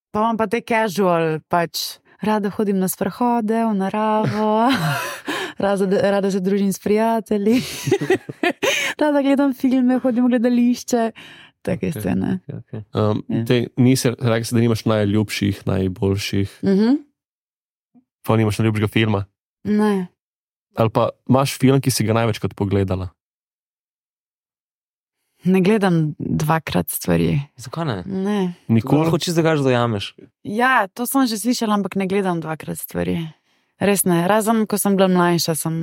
C: Pa imam pa te casual, pač rada hodim na sprehode v naravo, rada, rada se družim s prijatelji, rada gledam filme, hodim v gledališče, take
E: Ok.
C: scene.
B: Okay.
E: um,
C: Ja.
E: te, nisi rekel, si, da nimaš najljubših, najboljših,
C: Mhm.
E: pa nimaš najljubšega filma.
C: Ne.
E: Ali pa imaš film, ki si ga največkrat pogledala.
C: Ne gledam dvakrat stvari.
B: Zakaj ne?
C: Ne.
E: Nikoli.
B: Lahko čisto ga že dojameš.
C: Ja, to sem že slišala, ampak ne gledam dvakrat stvari. Res ne. Razen, ko sem bila mlajša, sem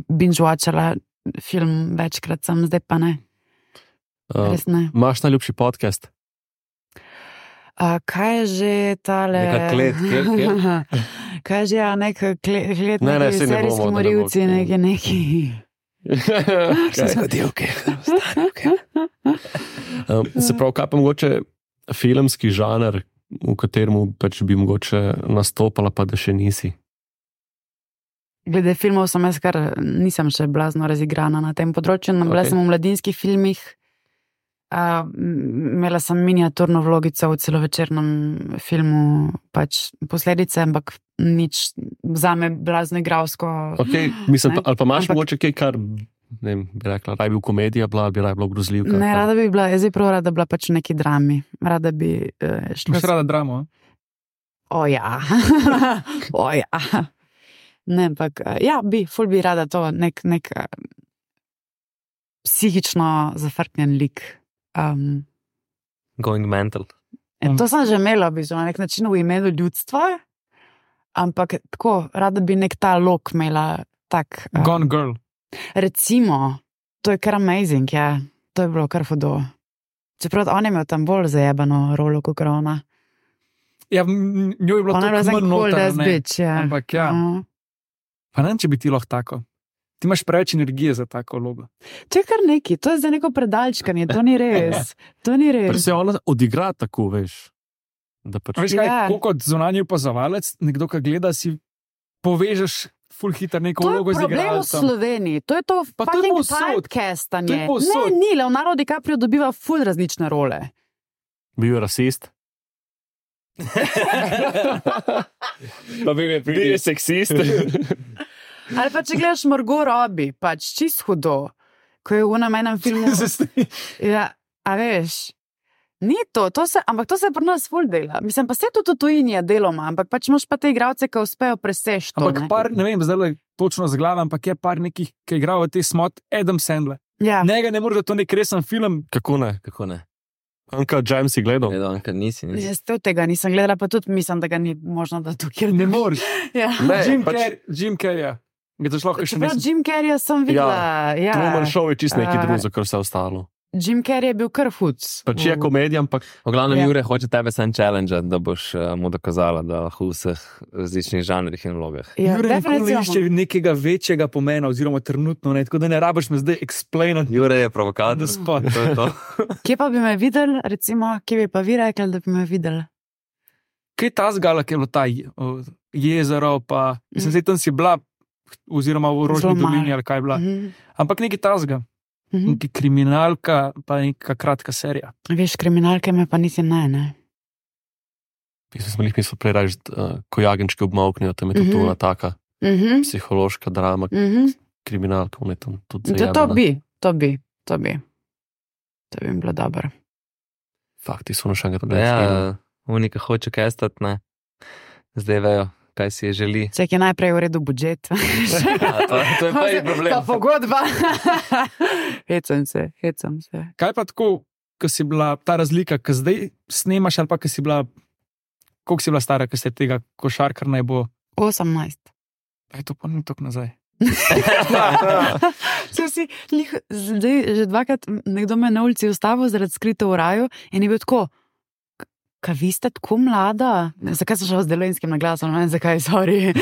C: binge-watchala film večkrat, sem zdaj pa ne.
E: Uh,
C: Res ne.
E: Imaš najljubši podcast?
C: A, kaj je že tale?
B: Neka klet, kjer, kjer?
C: Kaj je že, ja, nek klet, klet
E: Ne, ne,
C: neki
E: saj ne
C: serijski
E: bomo, da ne bo-
C: morilci, neki, neki.
B: Zgodilke.
E: um, se pravi, kaj pa mogoče filmski žanr, v katerem pač bi mogoče nastopala, pa da še nisi.
C: Glede filmov sem jaz kar nisem še blazno razigrana na tem področju. Okay. Bila
E: Ok.
C: sem v mladinskih filmih, a, m- imela sem miniaturno vlogico v celovečernem filmu, pač posledice, ampak nič zame blazno igralsko.
E: Okay, mislim,
C: Ne.
E: pa, ali pa imaš
C: Ampak-
E: mogoče kaj, kar ne vem, bi rekla, raj bi v komedija bila, bi raj bila grozljivka.
C: Ne, rada bi bila, jaz bi prav rada bila pač v neki drami. Rada bi uh, šla.
D: Imaš rada dramo?
C: O ja, o ja. Ne, ampak ja, bi, ful bi rada to, nek, nek uh, psihično zafrknjen lik. Um,
B: Going mental.
C: In to sem že imela, bi na nek način v imenu ljudstva, ampak tako, rada bi nek ta lok imela. Tak, um,
D: Gone Girl.
C: Recimo, to je kar amazing, ja. To je bilo kar fodo. Čeprav on je imel tam bolj zajebano rolo kot ona.
D: Ja, njo je bilo
C: Ona je bila
D: tako
C: zelo
D: manj
C: cool,
D: noter,
C: that's
D: ne.
C: bitch, ja.
D: Ampak ja,
C: Uh.
D: pa ne vem, če bi ti lahko tako. Ti imaš preveč energije za tako vlogo.
C: To je kar neki, to je za neko predalčkanje, to ni res. To ni
E: Ker
C: res.
E: se ona odigra tako, veš. Da pač...
D: Veš kaj,
C: Ja.
D: tako kot zunanji opazovalec, nekdo, ki gleda, si povežeš ful hiter neko
C: To je
D: vlogo z
C: problem v
D: igralcem.
C: Sloveniji, to je to
D: Pa to je
C: fucking
D: povsod. To
C: typecastanje.
D: je povsod.
C: Ne, ni, Leonardo DiCaprio dobiva ful različne role.
E: Bil je rasist. Pa bil je bil je seksist.
C: Ali pa če gledaš Margot Robbie, pač čist hudo, ko je v enem enem filmu. Ja, a veš, ni to, to se, ampak to se pri nas ful dela. Mislim, pa se tudi v tujini je deloma, ampak pač imaš pa te igralce, ki uspejo preseči to.
D: Ampak
C: ne.
D: par, ne vem, zdaj le točno z glavo, ampak je par nekih, ki igrajo v te smot, Adam Sandler.
C: Ja.
D: Njega ne more, da to nek resen film.
E: Kako ne?
B: Kako ne?
E: Anka James si gledal.
B: Gledal, Anka, nisi, nisi.
C: Jaz to tega nisem gledala, pa tudi mislim, da ga ni možno, da tukaj
D: Ne moreš.
C: Ja.
E: Ne,
D: Jim
E: pač
D: Carrey, Jim Carrey. Ga to šlo še
C: Čeprav
D: nisem.
C: Jim Carrey sem videla. Ja.
E: Truman Show je čist nekaj
C: A.
E: drugega, kar vse ostalo.
C: Jim Carrey je bil kar hud.
E: Pač je komedija, ampak
B: V glavnem,
C: Ja.
B: Jure hoče tebe sem challenge, da boš uh, mu dokazala, da lahko v vseh različnih žanrih in vlogah.
C: Ja,
D: Jure nikoli ne išče
C: definitivno.
D: nekega večjega pomena, oziroma trenutno ne, tako da ne rabiš me zdaj explainati.
B: Jure je provokator.
D: The spot.
B: To je to.
C: Kje pa bi me videli, recimo, kje bi pa vi rekli, da bi me videli?
D: Kaj je ta zgala, ki je bilo ta je- o, jezero, pa mislim, zdaj tam si bila, oziroma v Rožni
C: Zelo malo.
D: dolini ali kaj je bila.
C: Mhm.
D: Ampak nekaj tazga,
C: Mhm.
D: nekaj kriminalka, pa neka kratka serija.
C: Veš, kriminalke me pa niti ne, ne.
E: mislim, smo jih mislili prej reči, uh, ko jagenčki obmoknejo, tam je to
C: Mhm.
E: tuna taka
C: Mhm.
E: psihološka drama,
C: Mhm.
E: kriminalka, on je tam tudi
C: To,
E: zajebana.
C: to bi, to bi, to bi. To bi mi bilo dobro.
E: Fakt, ti so še enkrat
B: Ja, unika hoče kestati, ne. Zdaj vejo, kaj si je želi.
C: Vse je najprej v redu budžet.
B: Ja, to, to je prvi problem.
C: Pa pogodba. Hecam se, hecam se.
D: Kaj pa tako, ko si bila ta razlika, ki zdaj snemaš, ali pa ko si bila, koliko si bila stara, ko si tega košarkar naj bo,
C: osemnajst.
D: aj to pa ni tako nazaj.
C: Sem si lih, zdaj že dvakrat nekdo me na ulici ustavil zaradi skrito v raju in je bil tako, kaj vi ste tako mlada? Zakaj sem šel z delovinskim naglasom, ne vem zakaj, sorry.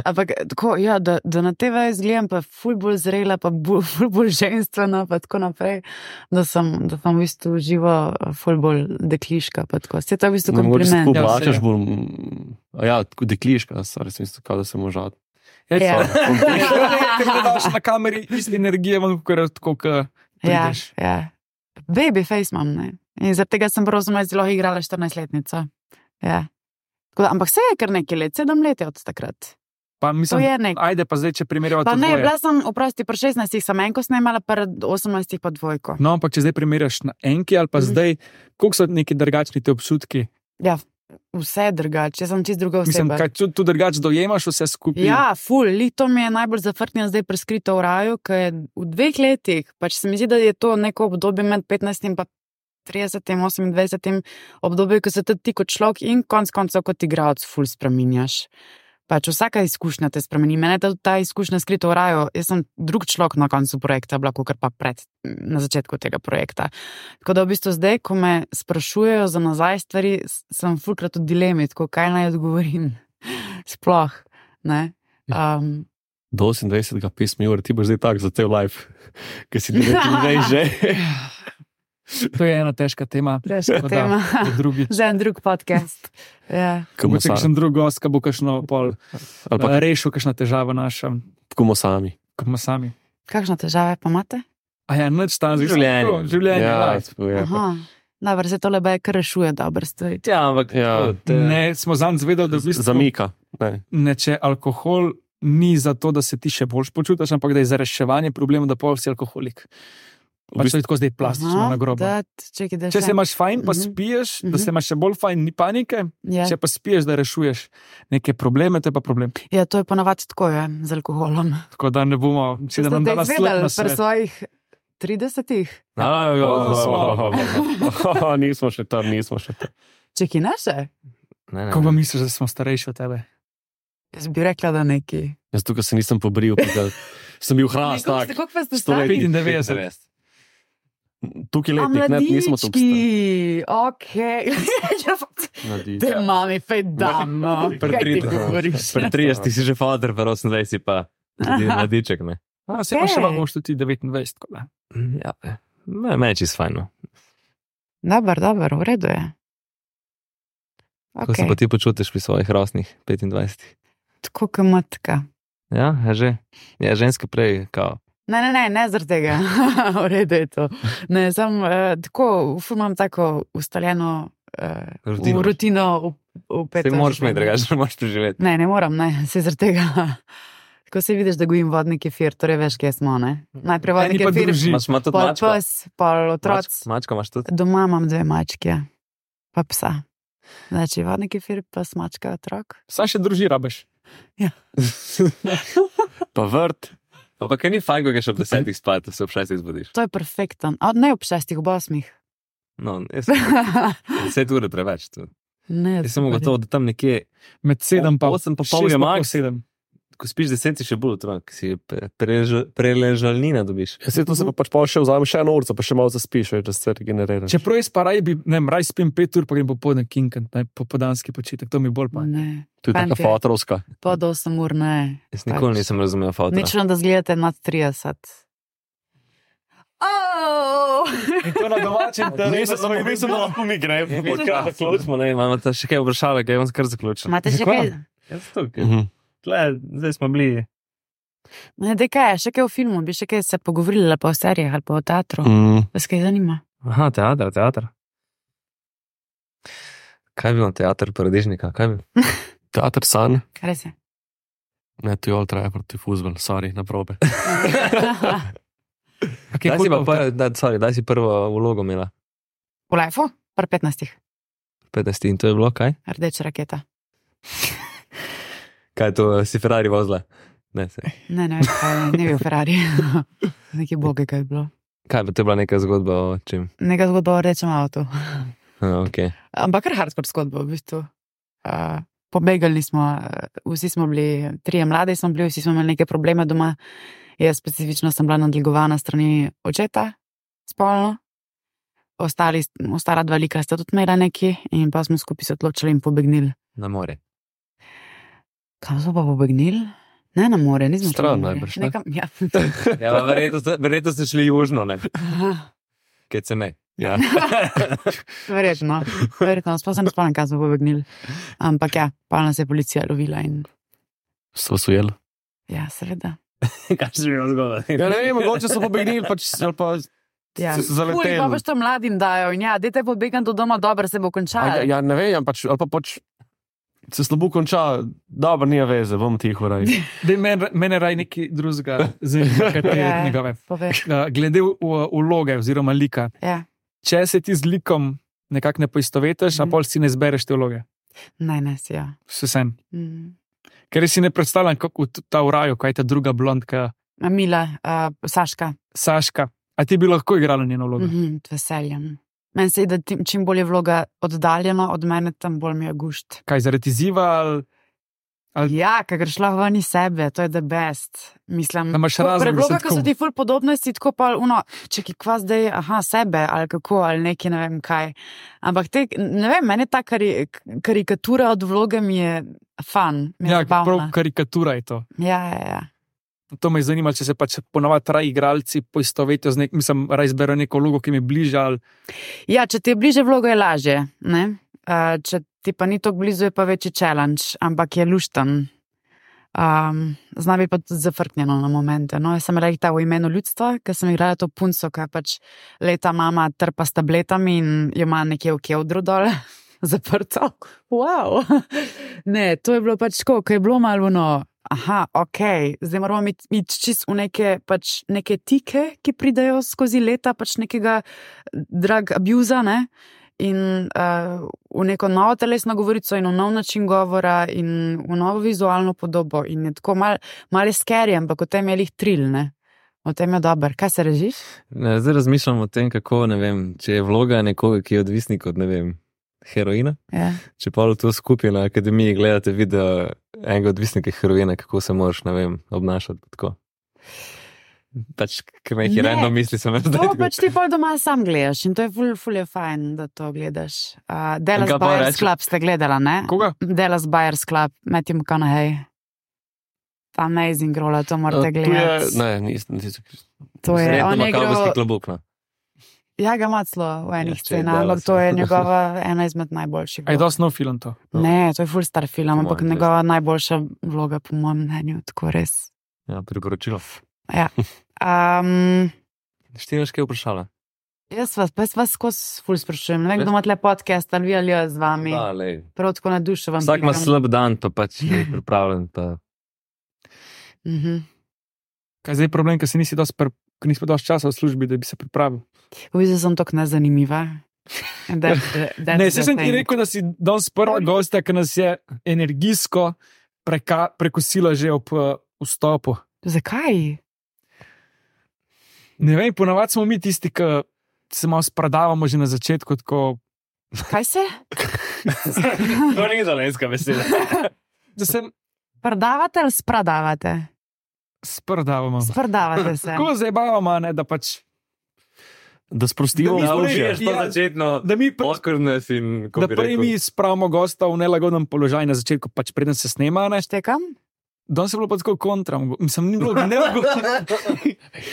C: Ampak tako, ja, da, da na te veje izgledam pa ful bolj zrela, pa bolj, ful bolj ženstvena, pa tako naprej, da sem, da sem v bistvu živo ful bolj dekliška, pa tako. Se to je v bistvu
E: Mogoče se tako
C: kompliment.
D: Ja,
E: oblačaš
D: se je.
E: bolj, mm, a ja, tako dekliška, stari sem isto, kao da se možat.
C: Ja.
D: Ker gledaš na kameri, iste energije, imam kot tako, ko
C: Ja,
D: prideš.
C: ja. Baby face imam, ne. In zaradi tega sem prav osemnajst zelo igrala štirinajstletnico. Ja. Tako da, ampak se je kar nekaj let, sedem let je od takrat.
D: Pa
C: To
D: mislim,
C: je nek.
D: ajde pa zdaj, če primerjava
C: Pa
D: to
C: ne,
D: dvoje.
C: bila sem, oprosti, pri šestnajstih sem enko snemala, pri osemnajstih pa dvojko.
D: No, ampak če zdaj primerjaš na enki ali pa
C: Mhm.
D: zdaj, koliko so neki drugačni ti občutki?
C: Ja, vse drugače, jaz sem čist druga
D: Mislim,
C: oseba.
D: kaj tu, tu drugače dojemaš vse skupaj?
C: Ja, ful, li to mi je najbolj zafrknjen zdaj preskrito v raju, ker je v dveh letih, pač se mi zdi, da je to neko obdobje med petnajstim pa tridesetim, osemindvajsetim obdobje, ko se tudi ti kot človek in konc koncev kot igralec ful spreminjaš. Pač vsaka izkušnja te spremeni. Mene je ta izkušnja skrito v raju, jaz sem drug človek na koncu projekta, bila kot pa pred, na začetku tega projekta. Tako da v bistvu zdaj, ko me sprašujejo za nazaj stvari, sem fulkrat v dilemi, tako kaj naj odgovorim. Sploh, ne. Um,
E: Do osemindvajsetega pisma, Jure, ti boš zdaj tak za cel life, ker si devetnajst že.
D: To je ena težka tema.
C: Težka
D: Tako da,
C: tema.
D: za drugi.
C: Za en drug podcast. Ja.
E: Komu
D: Mogoče kakšen drug gost, ki bo kakšno pol
E: Ali pa
D: eh, rešil, kakšna težava naša,
E: komu sami.
D: kot ima sami.
C: Kakšne težave pa imate?
D: A ja, nič tam
B: Življenje.
D: Življenje,
E: Ja,
D: life.
E: to je.
C: Aha. Dobro, se tole baj kar rešuje dobre stvari.
B: Ja, ampak
E: Ja.
B: to, te,
D: Ne, smo zanj zvedeli, da v bistvu
E: Zamika. Ne.
D: ne, če alkohol ni zato, da se ti še boljš počutiš, ampak da je za reševanje problema, da pol si alkoholik. Pač to je tako zdaj plastično na grobo. Če se imaš fajn, pa spiješ, da se imaš še bolj fajn, ni panike,
C: Ja.
D: če pa spiješ, da rešuješ neke probleme, to je pa problem.
C: Ja, to je ponavadi tako, je, z alkoholom.
D: Tako da ne bomo, si da nam
C: Ste
D: dala sled
C: izvedeli
D: na
C: pri
D: svet.
C: svojih tridesetih?
E: Nismo še tam, nismo še tam.
C: Čeki, ne še?
B: Ne, ne,
D: Ko pa
B: ne.
D: misliš, da smo starejši od tebe?
C: Jaz bi rekla, da neki.
E: Jaz tukaj se nisem pobril, da sem bil hrast, tak.
C: Koliko pa ste
E: sto let.
C: stari?
D: petindevetdeset.
E: Tukaj
C: A
E: letnik, ne, nismo tukaj.
C: mladički, okej. Te mami, fej dam, no.
B: Pri
C: Kaj ti
B: tridesetih.
C: govoriš?
B: Pri tridesetih si že fader, pri osemindvajsetih pa tudi mladiček, ne.
D: A, se pa še
C: Okej.
D: lahko boš tudi devetindvajset. Tako da.
B: Ja, me, me je čist fajn, no.
C: Dobar, dobar, v redu je.
B: Kako se
C: Okay.
B: pa ti počutiš pri svojih rosnih petindvajsetih?
C: Tako kot matka.
B: Ja, je že. Ja, ženske prej, kao.
C: Ne, ne, ne, ne zaradi tega. V redu je to. Ne, sam uh, tako, ful imam tako ustaljeno uh,
B: Rutino.
C: rutino v, v
B: Ti
C: peto.
B: moraš imeti, drugače ne moreš preživeti.
C: Ne, ne moram, ne, se zaradi tega. Tako se vidiš, da gojim vodni kefir, torej veš, kje smo, ne? Najprej vodni
D: Eni pa
C: kefir,
D: družina.
B: Imaš ima tudi
C: pol
B: mačko?
C: pes, pol otroc.
B: Mačko, mačko imaš tudi?
C: Doma imam dve mačke, pa psa. Znači, vodni kefir, pes, mačka, otrok.
D: Sam še druži rabeš.
E: Pa vrt.
B: Ampak kaj ni fajn, ko greš ob desetih spat, da se ob šestih zbudiš.
C: To je perfekten. A, ne ob šestih, ob osmih.
B: No, jaz deset ure preveč. Tu.
C: Ne,
B: Jaz sem
C: super.
B: gotovo, da tam nekje,
D: Med sedem pa
B: osem pa pol je
D: šest pa pol
B: max.
D: sedem.
B: ko spiš deset, si še bolj otrok, si pre- preleža- preležalnina dobiš.
E: Jaz se to se pa pač pol še vzamem še eno urco, pa še malo zaspiš, več, da se regeneriraš.
D: Čeprav jaz pa raj bi, ne vem, raj spim pet ur, pa grem popoldne kinkant, ne, popodanski počitek, to mi bolj pa.
C: Ne,
E: To je taka
C: Fantje.
E: fatrovska.
C: pod osem ur ne.
B: Jaz nikoli
C: Pač.
B: nisem razumel fotra.
C: Nič da zgledate nad trideset. Oh!
D: In to na domačem
E: Nisem, samo mislim, da lahko mi gremo.
B: Zaključimo, ne, imamo ta še kaj vprašave, kaj vam kar zaključim.
C: Imate še kaj?
B: Jaz tukaj.
E: Mhm.
B: Tle, zdaj smo bili.
C: Ne, dej kaj, še kaj v filmu, bi še kaj se pogovorili ali pa o serijah ali pa o teatru.
E: Mm.
C: Vas kaj zanima?
B: Aha, teater, teater. Kaj bi vam teater paradižnika? Kaj bi?
E: Teater san.
C: Kaj res je?
E: Ne, to je all traja proti fuzbol, sorry, na probe.
D: Okay,
B: Daj si, pa, pa, da, sorry, daj si prvo vlogo imela.
C: V lifeu? Par petnajstih.
B: petnajst in to je bilo kaj?
C: Rdeča raketa.
B: Kaj to si Ferrari vozila? Ne, se.
C: Ne, ne, kaj, ne bil Ferrari. Nekaj boge, kaj je bilo.
B: Kaj pa to je bila neka zgodba o čem?
C: Neka zgodba o rdečem avtu.
B: A, okay.
C: Ampak kar hardcore zgodba, v bistvu. Uh, pobegali smo, uh, vsi smo bili, trije mladi smo bili, vsi smo imeli neke probleme doma. Jaz specifično sem bila nadlegovana strani očeta, spolno. Ostali, ostala dva lika sta tudi imela neki in pa smo skupaj se odločili in pobegnili.
B: Na more.
C: Kam smo pa pobegnili? Ne na more, nismo šli
E: Stran
C: na more.
E: najbrž, ne?
C: Nekam, ja.
B: Ja, pa verjetno, ste- verjetno ste šli južno, ne? Kaj se ne.
E: Ja.
C: Verjetno, verjetno, sploh se ne spomnim, kam smo pobegnili. Ampak ja, pa nas je policija lovila in
E: So vas ujeli.
C: ja, seveda.
B: Kaj se mi je zgodilo?
E: Ja, ne vem, mogoče so pobegnili, pač ali pa
C: Ja,
E: so zaleteli.
C: Ful, pa boš to mladim dajo in ja, dajte pobegati do doma, dobro se bo
E: A,
C: končalo.
E: ja, ja, ne vem, pač, ali pa pač se slabo konča, dobro, nija veze, bom tiho raj.
D: Dej, men, mene raj neki drugega zanima, kaj te
C: Ja.
D: njegove.
C: Poveš.
D: Uh, glede v- v- vloge oziroma lika.
C: Ja,
D: Če se ti z likom nekako ne poistovetiš,
C: Mhm.
D: a pol si ne zbereš te vloge.
C: naj ne si, ja.
D: Vse sen.
C: Mm.
D: Ker si ne predstavljam, kako v ta v raju, kaj je ta druga blondka,
C: A Mila, uh, Saška,
D: Saška. A ti bi lahko igrala njeno vlogo?
C: mm -hmm, veseljem. Meni se je, da tim, čim bolj je vloga oddaljena od mene, tam bolj mi je gušt.
D: Kaj zaradi izziva ali Ali-
C: Ja, ker greš lahko ven iz sebe, to je the best. Mislim,
D: Da imaš
C: tako
D: razlog, da
C: predloga,
D: se
C: ki so
D: tako-
C: ti ful podobne, si tako pa, uno, če ki kva zdaj, aha, sebe ali kako, ali nekaj, ne vem kaj. Ampak te, ne vem, meni ta kari, karikatura od vloge mi je fan, mi je
D: Ja,
C: zabavna.
D: prav karikatura je to.
C: Ja, ja, ja.
D: To me zanima, če se pač ponovadi raj igralci poistovetijo z nekim, mislim, raj izberejo neko vlogo, ki mi je bližja. Ali...
C: Ja, če ti je bliže vlogo, je lažje. Ne? Uh, če ti pa ni tako blizu, je pa večji challenge, ampak je lušten. Um, Zna bi pa tudi zafrknjeno na momente. No, jaz sem rekla v imenu ljudstva, ker sem igrala to punco, ki pač leta mama trpa s tabletami in jo ima nekje v kevdru dol, zaprto. Wow. Ne, to je bilo pač tako, ko je bilo malo no, aha, ok, zdaj moramo iti, iti čist v neke, pač, neke tike, ki pridejo skozi leta, pač nekega drug abuza, ne? In uh, v neko novo telesno govorico in v nov način govora in v novo vizualno podobo in je tako mal, malo scary, ampak o tem je lih tril, ne? O tem je dober. Kaj se režiš?
B: Ne, zdaj razmišljam o tem, kako, ne vem, če je vloga nekoga, ki je odvisnik od, ne vem, heroina.
C: Ja.
B: Če pa to skupaj na akademiji gledate video enega odvisnika heroina, kako se moraš, ne vem, obnašati tako. Pač, ker me jih je random misli, sem jaz zdaj.
C: To pač ti pol doma sam gledaš in to je ful, ful je fajn, da to gledaš. Uh, Dallas Buyers Club ste gledala, ne?
D: Koga?
C: Dallas Buyers Club, Matthew McConaughey. Amazing rola, to morate gledati.
E: Ne, nisem, nisem.
C: To je, on je igral...
B: klobuk, no.
C: Ja, ga ima celo v enih
B: Ja,
C: scenah, ampak to je njegova ena izmed najboljših.
D: A je dosti nov film to?
C: Ne, to je ful star film,
B: Po
C: ampak
B: mojem,
C: njegova najboljša vloga, po mojem mnenju, tako res.
B: Ja, priporočilo.
C: Ja. Um,
B: Štiriš kaj vprašala?
C: jaz vas, pa jaz vas skozi ful sprašujem. Ne vem, kdo ima tle podcast, ali vi ali jaz z vami.
B: Da, lej.
C: Prav tako na dušo vam
B: Vsak ima
C: pridem.
B: slab dan, pa pač ni pripravljen, pa...
C: Mhm.
D: Kaj je zdaj problem, ker si nisi dosti, pr... ker nisi pa dosti časa v službi, da bi se pripravil?
C: V bistvu sem tako nezanimiva. That, that,
D: Ne, se sem ti rekel, da si danes prva gosta, ki nas je energijsko preka... prekosila že ob uh, vstopu.
C: Zakaj?
D: Ne vem, ponavadi smo mi tisti, ki se malo spradavamo že na začetku, tako
C: Kaj se?
B: To ni dolenska beseda.
D: da se
C: Prdavate ali spradavate?
D: spradavamo.
C: Sprdavate se.
D: Tako zabavamo, ne, da pač
E: Da sprostimo
D: Da mi
B: Ja,
D: smo
E: vzdušje.
D: rekli,
B: to
D: ja,
B: začetno
D: da mi pr-
B: oskrnes in, ko
D: da
B: bi
D: prej
B: rekel,
D: mi spravimo gosta v nelagodnem položaju na začetku, pač preden se snema. Ne.
C: Štekam?
D: Danes je bilo pa tako kontra, mislim, ni bilo nelagodno.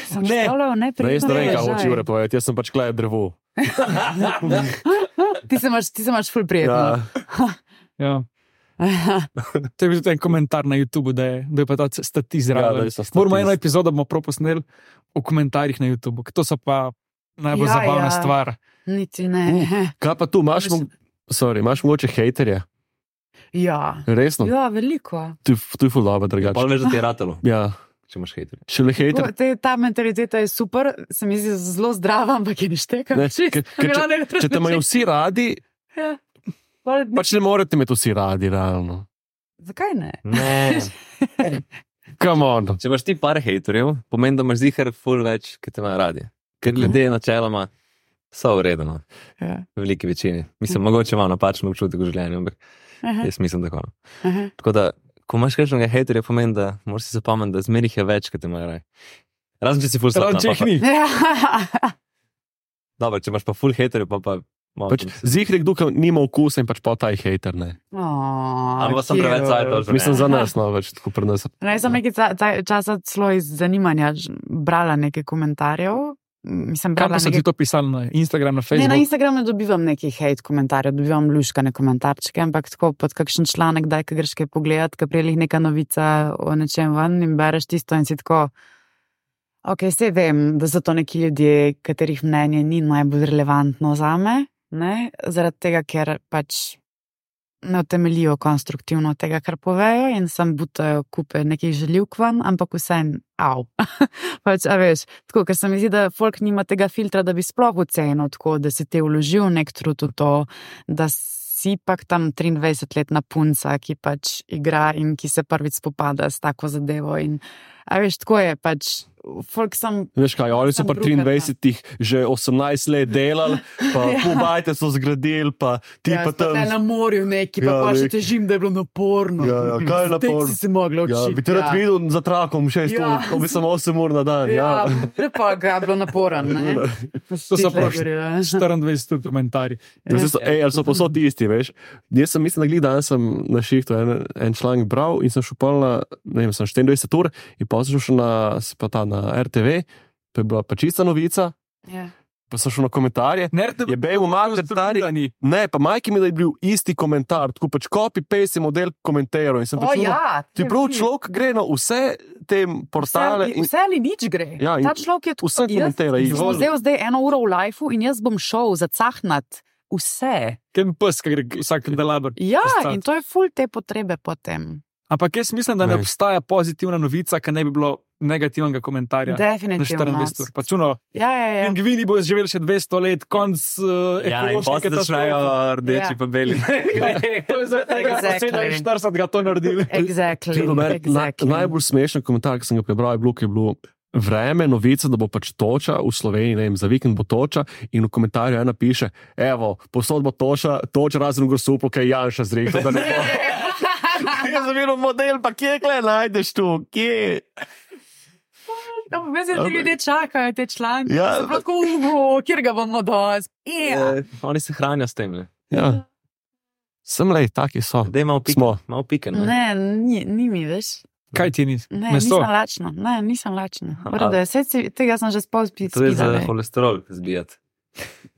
C: Sem
D: Ne.
C: štola v
E: Ne, jaz ne vem, kaj
C: položaj.
E: hoče Jure povedati, jaz sem pač kleje drevo.
C: Ti se imaš, ti se imaš ful prijetno.
D: Ja. To je bil tudi en komentar na YouTubu, da je, da je pa ta stati
E: Ja, da
D: zraven.
E: je sta
D: Moramo eno
E: statist.
D: epizodo bomo prav posneli v komentarjih na YouTubu, ker to so pa najbolj
C: Ja,
D: zabavna
C: ja.
D: stvar.
C: Niti ne.
E: Kaj pa tu, imaš, mo sorry, imaš mogoče hejterje?
C: Ja.
E: Resno?
C: Ja, veliko.
E: Tu, tu je ful dobro,
B: pa
E: drugače.
B: veš, da ti je ratalo,
E: Ja,
B: če imaš hejterje.
E: šele hejter.
C: To, te, ta mentaliteta je super, se mi zdi zelo zdrava, ampak je ne štekam.
E: Ne, ker- ker če- Če te imajo vsi radi,
C: Ja.
E: pač ne morete imeti vsi radi, realno.
C: Zakaj ne?
B: Ne.
E: Come on.
B: Če imaš ti par hejterjev, pomeni, da imaš zihar ful več, ki te imajo radi. Ker ljudje načeloma so uredeno,
C: Ja.
B: v veliki večini. Mislim, mogoče imam napačen občutek v življenju, ampak
C: Aha,
B: jaz mislim tako. no.
C: aha.
B: Tako da, ko imaš kakšnega hejterja, pomeni, da moraš si zapomniti, da zmerih je več, ki te imajo radi. Razen če si ful
D: Razen če
B: slab.
D: jih ni.
C: Ja.
B: Dobro, če imaš pa ful hejterjev, pa pa... malo
E: Pač,
B: tam se-
E: zihri kdo, ki nima okusa in pač pa ta je hejter, ne.
C: Oh,
B: Ampak sem preveč cajtov.
E: Mislim za nas, no, več tako pri nas.
C: Ne, sem nekaj ca- ca- časa celo iz zanimanja ž- brala nekaj komentarjev. Mislim,
D: Kam
C: brala
D: pa so ti
C: nekaj...
D: to pisali na Instagram, na
C: Ne,
D: Facebook?
C: na Instagramu ne dobivam nekih hate komentarjev, dobivam luškane komentarčke, ampak tako pod kakšen članek, daj, kaj greš kaj pogledat, kaj prijeli neka novica o nečem ven in bereš tisto in si tako, ok, se vem, da so to neki ljudje, katerih mnenje ni najbolj relevantno zame, ne, zaradi tega, ker pač ne utemeljijo konstruktivno tega, kar povejo in sam butajo kupe nekih željivk ven, ampak vsem, au. pač, a veš, tako, ker se mi zdi, da folk nima tega filtra, da bi sploh ocenil tako, da si te vložil nek trud v to, da si pak tam triindvajsetletna punca, ki pač igra in ki se prvič spopada s tako zadevo in, a veš, tako je pač, folk sem...
E: Veš kaj, oni so
C: Sam
E: pa
C: brukata.
E: triindvajsetih že osemnajst let delali, pa
C: Ja.
E: pobajte so zgradili, pa ti
C: Ja,
E: pa
C: pa
E: tam.
C: na morju neki, pa
E: Ja,
C: pa še
E: neki.
C: težim, da je bilo naporno.
E: Ja, ja, kaj je
C: Tek
E: naporno?
C: si se mogla
E: Ja,
C: učiti.
E: bi te rad videl za trakom šest
C: Ja.
E: ur, to bi samo osem ur na dan.
C: Ja,
E: Ja.
C: ja pa ga je bilo naporen, ne?
D: To so prav
C: Ja.
D: štiriindvajset komentarji.
E: Ja. So, ej, ali so posod isti, veš? Jaz sem, mislim, da glih danes sem na šihtu en, en članek bral in sem šel pol na, ne vem, sem štiriindvajset ur in pa sem šel na, pa ta, na R T V, to je bila pa čista novica,
C: Ja.
E: pa sem šel na komentarje.
D: Nerte,
E: Je bil mater stari. Ne, pa majki mi da je bil isti komentar, tako pač copy-paste je model komentarjev in sem
C: O
E: pač čudil,
C: ja,
E: ti prav človek gre na vse te portale
C: Vse,
E: in
C: vse ali nič gre.
E: Ja, in
C: Ta človek je tako.
E: vse komentira
C: Jaz
E: isto.
C: sem vzel zdaj eno uro v lifeu in jaz bom šel zacahnat vse.
D: Kem pes, ki gre vsak delaber.
C: Ja,
D: Postat.
C: in to je ful te potrebe potem.
D: Ampak jaz mislim, da ne
E: Ne.
D: obstaja pozitivna novica, ki ne bi bilo negativnega komentarja. Na
C: Definitivno.
D: štiriindvajset ur. Pač uno,
C: Ja, ja, ja.
D: pingvini bodo živeli še dvesto let, konc uh,
B: Ja, in
D: ekološke
B: potem začnejo
D: katastrofe.
B: rdeči
C: Ja.
B: pa beli.
D: To je za tega, da
C: Exactly.
D: so sedeminštirideset ga to naredili.
C: Exactly.
E: Čisto meni
C: exactly.
E: Na, najbolj smešen komentar, ki sem ga prebral, je bilo, ki je bilo vreme, novica, da bo pač toča v Sloveniji, ne vem, za vikend bo toča in v komentarju ena piše, evo, posod bo toča, toča razen v Grosuplu, kaj je Janša zrihtal, da ne bo. Jaz sem videl model, pa kje kle najdeš tu, kje?
C: Ja, pa mislim, da ljudje čakajo te članke.
E: Ja.
C: So prav tako, "Uhu, kjer ga bomo dosti. Ja.
B: Eh, Oni se hranijo s tem. Ne?
E: Ja. Sem lej, taki so.
B: Dej malo pike.
E: Smo.
B: Malo pike. Ne?
C: Ne, ni, ni mi več.
D: Kaj ti ni?
C: Ne,
D: Meso.
C: nisem lačna. Ne, nisem lačna.
B: A-
C: Vrde, si, tega sem že spal spiti.
B: To je za holesterol zbijati.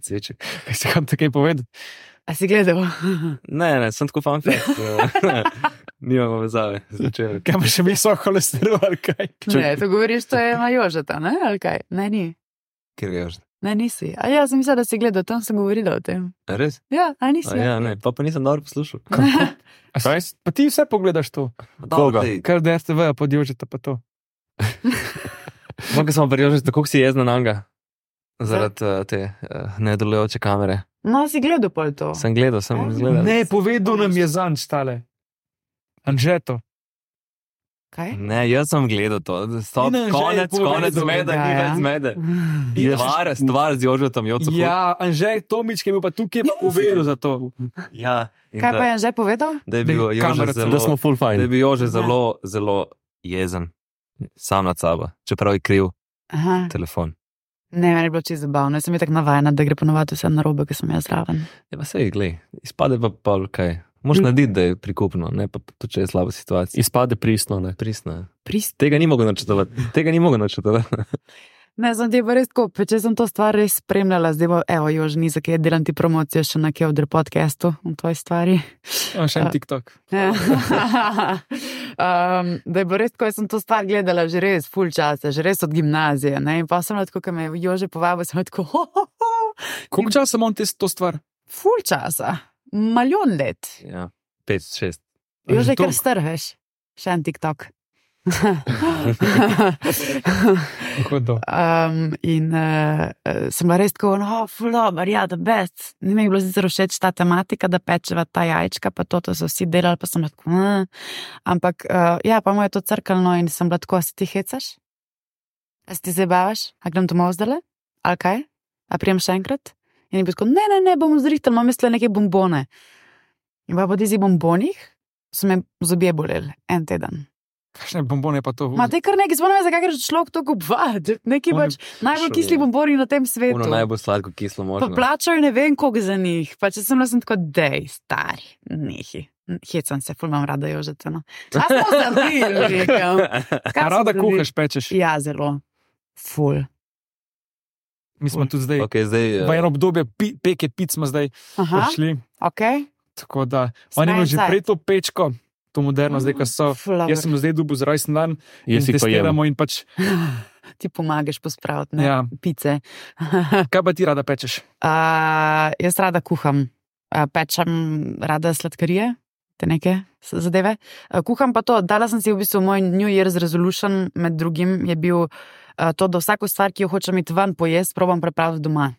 B: Cveček.
D: Kaj si kam takaj povedal?
C: A si gledal?
B: Ne, ne, sem tako fan fact. Nimamo vezave z večerjem.
D: Kaj pa še visok holesterol, ali kaj?
C: Ne, to govoriš, to je Majožeta, ne? Ali kaj? Ne, ni.
B: Kjer ga že?
C: Ne, nisi. A ja, sem mislila, da si gledal, tam sem govorila o tem.
B: Res?
C: Ja, a nisi.
B: A ja, ne, pa pa nisem dobro poslušal.
D: A s- Pa ti vse pogledaš to,
E: Koga?
D: kar D R T V podjožite pa to.
B: Mogoče smo prijožili, tako si jezna na njega. Zaradi uh, te uh, nedelujoče kamere.
C: No, si gledal pol to.
B: Sem gledal, sem
C: A?
B: gledal.
D: Ne, povedal nam je zanč tale. Anžeto.
C: Kaj?
B: Ne, jaz sem gledal to. Stop,
D: In Anže je
B: konec,
D: povedal,
B: konec zmede,
C: ja,
B: ni
C: ja.
B: več zmede. Stvar, stvar z Jožetom, Joco.
D: Ja, Anžej Tomič, ki je bil pa tukaj, pa povedal za to.
B: Ja. in
C: Kaj
B: da-
C: pa je že povedal?
B: Da je bil
D: Da je
B: Jože
D: kamera-
B: zelo,
E: Da smo full
B: da je
E: fine.
B: bil Jože zelo, zelo jezen. Sam nad sabo, čeprav je kriv
C: Aha.
B: telefon.
C: Ne, meni je bilo čisto zabavno. Jaz sem je tako navajena, da gre ponovadi vse na robe, ki sem jaz zraven.
B: Ja, pa sej, glej, izpade pa pol kaj. Moš narediti, da je prikupno, ne pa to, če je slaba situacija.
E: Izpade pristno, ne.
B: Pristno je.
C: Prist.
B: Tega ni mogel načrtovati. Tega ni mogel načrtovati.
C: Ne, sem ti pa res tako, pa če sem to stvar res spremljala, zdaj bo, evo, Jož, ni za kaj, delam ti promocijo še na Kevdr podcastu v tvoji stvari.
D: On še en TikTok.
C: Ja. um, da je bilo res tako, jaz sem to stvar gledala že res ful časa, že res od gimnazije, ne, in pa sem lahko, ko me je Jože povabil, sem lahko, ho, ho, ho,
D: Koliko časa imam te to stvar?
C: ful časa, milijon let.
B: Ja, pet, šest.
C: Jože,
D: Že
C: kar
D: toliko?
C: strheš, še en TikTok.
D: Kako to?
C: Um, in uh, sem bila res tako, no, ful dober, ja, da best. Ni mi je bilo sicer všeč ta tematika, da pečeva ta jajčka, pa to, to so vsi delali, pa sem bila tako, uh. ampak uh, ja, pa mu je to crkalo in sem bila tako, a se ti hecaš? A se ti zabavaš? A grem domov zdaj? Ali kaj? A prijem še enkrat? In je bil tako, ne, ne, ne, bom zrihtal, imam mislila neke bombone. In pa po tistih bombonih so me zobje boleli en teden.
D: Kakšne bombone pa to?
C: Ma te kar nekaj, spomnim se, kakor človek to kupovati. Neki
D: Oni-
C: pač najbolj
B: Šo
C: kisli
B: je.
C: bomboni na tem svetu.
B: Ono najbolj sladko kislo
C: Pa
B: možno.
C: plačajo ne vem koliko za njih. Pa če sem bila sem tako, dej, stari, nehi. Hecam se, ful imam rada Jožeta. No. A smo zabili, rekel. Kaj
D: A rada
C: smo
D: kuhaš, pečeš?
C: zabili? Ja, zelo. Ful.
D: Mi smo tudi zdaj.
B: Okay, zdaj,
D: V
B: eh,
D: eno obdobje pi, peke pic smo zdaj
C: Aha,
D: prišli.
C: ok.
D: Tako da, oni imajo že
C: Smajem
D: prej to pečko, to moderno, zdaj, ko so.
C: Ful,
D: Jaz sem zdaj dubu z rojsten dan in
E: Jaz si pa jem.
D: testiramo in pač,
C: Ti pomagaš pospraviti, ne?
D: ja,
C: Pice.
D: kaj pa ti rada pečeš?
C: Uh, jaz rada kuham, uh, pečem rada sladkarije, te neke s- zadeve. Uh, kuham pa to, dala sem si v bistvu moj New Year's resolution, med drugim je bil uh, to, da vsako stvar, ki jo hočem iti ven pojesti, probam pripraviti doma.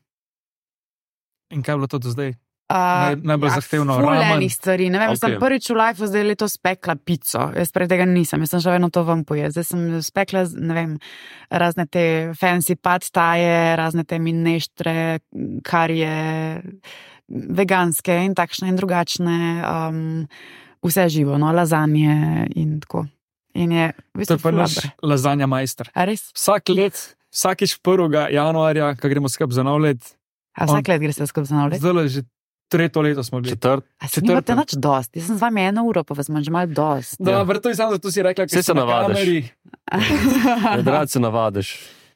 D: In kaj je bilo to do zdaj?
C: Uh,
D: Naj- najbolj zahtevno, ramen.
C: Fulejnih stvari. Ne vem, okay. sem
B: Ok.
C: prvič v lifeu zdaj letos spekla pico. Jaz prej tega nisem, jaz sem še vedno to vam pojela. Zdaj sem spekla, ne vem, razne te fancy pad taje, razne te mineštre, karije, veganske in takšne in drugačne, um, vse živo, no, lazanje in tako. In je, v
D: To
C: bistvu,
D: je pa
C: ful
D: naš
C: dober.
D: lazanja majster.
C: A res?
D: Vsak let, vsakič prvega januarja, ko gremo skupaj za nov let,
C: A vsak let greš skupaj za nov let?
D: zdaj že tretje leto smo bili.
E: Četrt.
C: A se nimate
D: četrto.
C: nič dosti? Jaz sem z vami eno uro, pa vas imam že malo dosti.
D: Dobro, to je samo zato si rekla,
E: Saj
D: ker
E: se navadiš.
D: kameri.
E: Rad se navadiš,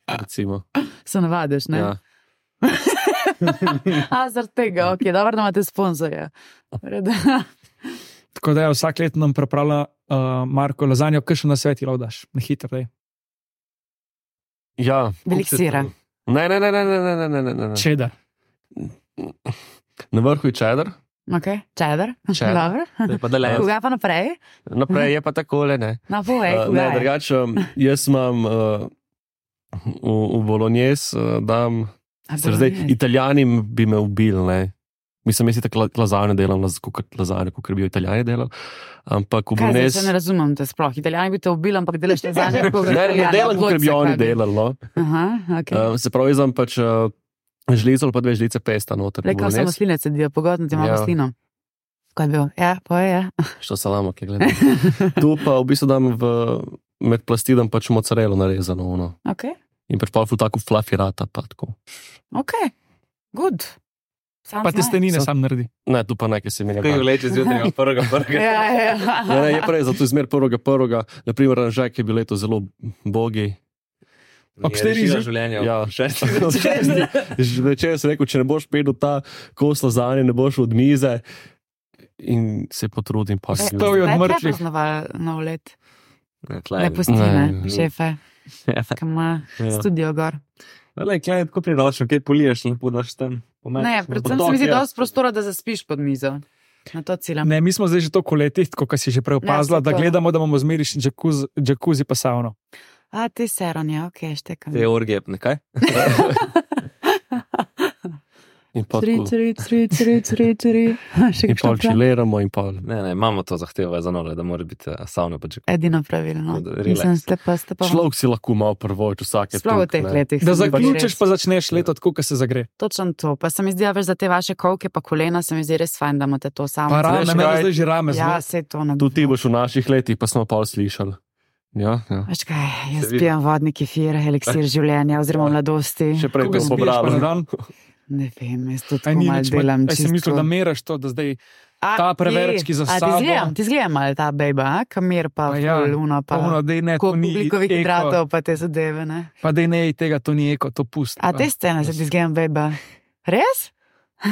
E: recimo.
C: Se navadiš, ne?
E: Ja.
C: A, zaradi tega, ok, dobro, da imate sponzorja.
D: Tako da je vsak let nam pripravlja uh, Marko lazanjo, kaj še na sveti laudaš, na hitro. daj.
E: Ja.
C: Velik sira.
E: Ne, ne, ne, ne, ne, ne, ne, ne, ne, ne.
D: Čedar.
E: Na vrhu je čedar,
C: Okay. Cheddar.
E: Cheddar.
C: Dobro.
B: To je pa deleno.
C: Koga pa naprej?
E: Naprej je pa takole, ne.
C: Na povej,
E: Uh,
C: koga
E: ne,
C: je?
E: drugače, um, jaz imam uh, v, v Bolognese, uh, dam,
C: A,
E: se zdaj,
C: bolognese.
E: Italijani bi me ubili, ne. Mislim, jaz si tako lazanje delam, kot lazanje, kot bi jo Italijani delali. Ampak v
C: Kaj, zdaj se
E: Bolognese...
C: ne razumem, te sploh. Italijani bi te ubili, ampak delaš te zadnje.
E: Ne, ne delam, kot bi oni delali, no.
C: Aha, ok.
E: Uh, se pravi, jaz imam pač uh, žlico ali pa dve žlice pesta noter.
C: Rekal sem, masline sedijo, pogodno ti imamo
E: Ja.
C: maslino. Kaj je bil? Ja, poje, ja.
E: Što salamo, ki gledam. Tu pa v bistvu dam v, med plasti dam pač mozzarelo narezano, ono.
C: Ok,
E: In pač pa ful tako fluffy rata, pa tako.
C: ok, good. Sounds
D: Pa testenine
E: Sam-
D: sam naredi.
E: Ne, tu pa nekaj se mi ne
B: Kaj
E: da.
B: vleče zjutraj od prvega prvega.
C: Ja, ja.
E: Ne, ne, je prej, zato izmer prvega prvega, naprimer Ranžek je bil leto zelo bogi.
D: Ob štirih že?
B: življenja.
E: Ja.
B: Šesti.
E: Večer sem rekel, če ne boš pedel ta kos lazanje, ne boš od mize. In se potrudim, pa se
D: Stal je od
C: Zdaj
D: mrtvih.
C: Kaj praznoval nov let?
B: Ne,
C: Ne pusti,
E: Ne,
C: ne,
E: ne.
C: šefe,
B: Ja.
C: ki ima
B: Ja.
C: studio gor.
B: Le, kaj je tako priročno, kaj poliješ, lepo daš tam.
C: Ne, predvsem se mi zdi dosti prostora, da zaspiš pod mizo. Na to ciljam.
D: Ne, mi smo zdaj že toliko letih, kot si že prej opazila,
C: Ja,
D: da
C: saj to.
D: gledamo, da bomo zmeri džakuzi, džakuzi pa savno.
C: A, ti seron, ja, ok, štekam.
B: Te orgije, nekaj?
E: In pa
C: Tri,
E: tako-
C: tri, tri, tri, tri, tri. Še
E: in pol
C: kakšno prav?
E: čiliramo in pol.
B: Ne, ne, imamo to zahtevo za nove, da mora biti eh, savna pa če.
C: Edino pravilno.
B: Tako da relax.
C: Mislim, ste pa, ste pa.
E: Človek si lahko malo prvoč vsake
C: Sploh v teh letih.
D: Da
C: se mi zdi
D: zaključiš,
C: res.
D: pa začneš leto tako, kot se zagre.
C: Točno to. Pa se mi zdi, da veš za te vaše kolke pa kolena, se mi zdi res fajn, da imate to samo.
D: Pa rame,
E: Veš
D: meni
E: kaj?
D: zdaj že rame
C: Ja,
D: zelo.
C: se to ne.
E: Tudi ti boš v naših letih, pa smo pol slišali. Ja, ja.
C: Veš kaj, jaz
B: Se vidi.
C: pijem vodni kefir, eliksir življenja oziroma mladosti.
E: Še prej
D: Koga
E: to
D: spiješ pa na
E: pobralo.
D: dan?
C: Ne vem, jaz tudi
D: Aj,
C: tako
D: ni
C: malo
D: nič,
C: delam.
D: aj si mislil, da meraš to, da zdaj
C: A,
D: ta
C: kje?
D: preverečki za
C: A, ti
D: sabo.
C: zgledam, ti zgledam malo ta bejba, kamer pa,
D: Pa ja,
C: ful, uno pa.
D: polno, dej ne, to
C: Koliko
D: ni
C: oglikovih
D: eko.
C: hidratov pa te zadeve, ne?
D: Pa dej ne, tega to ni eko, to pusti.
C: A te scene se ti zgledam bejba. Res?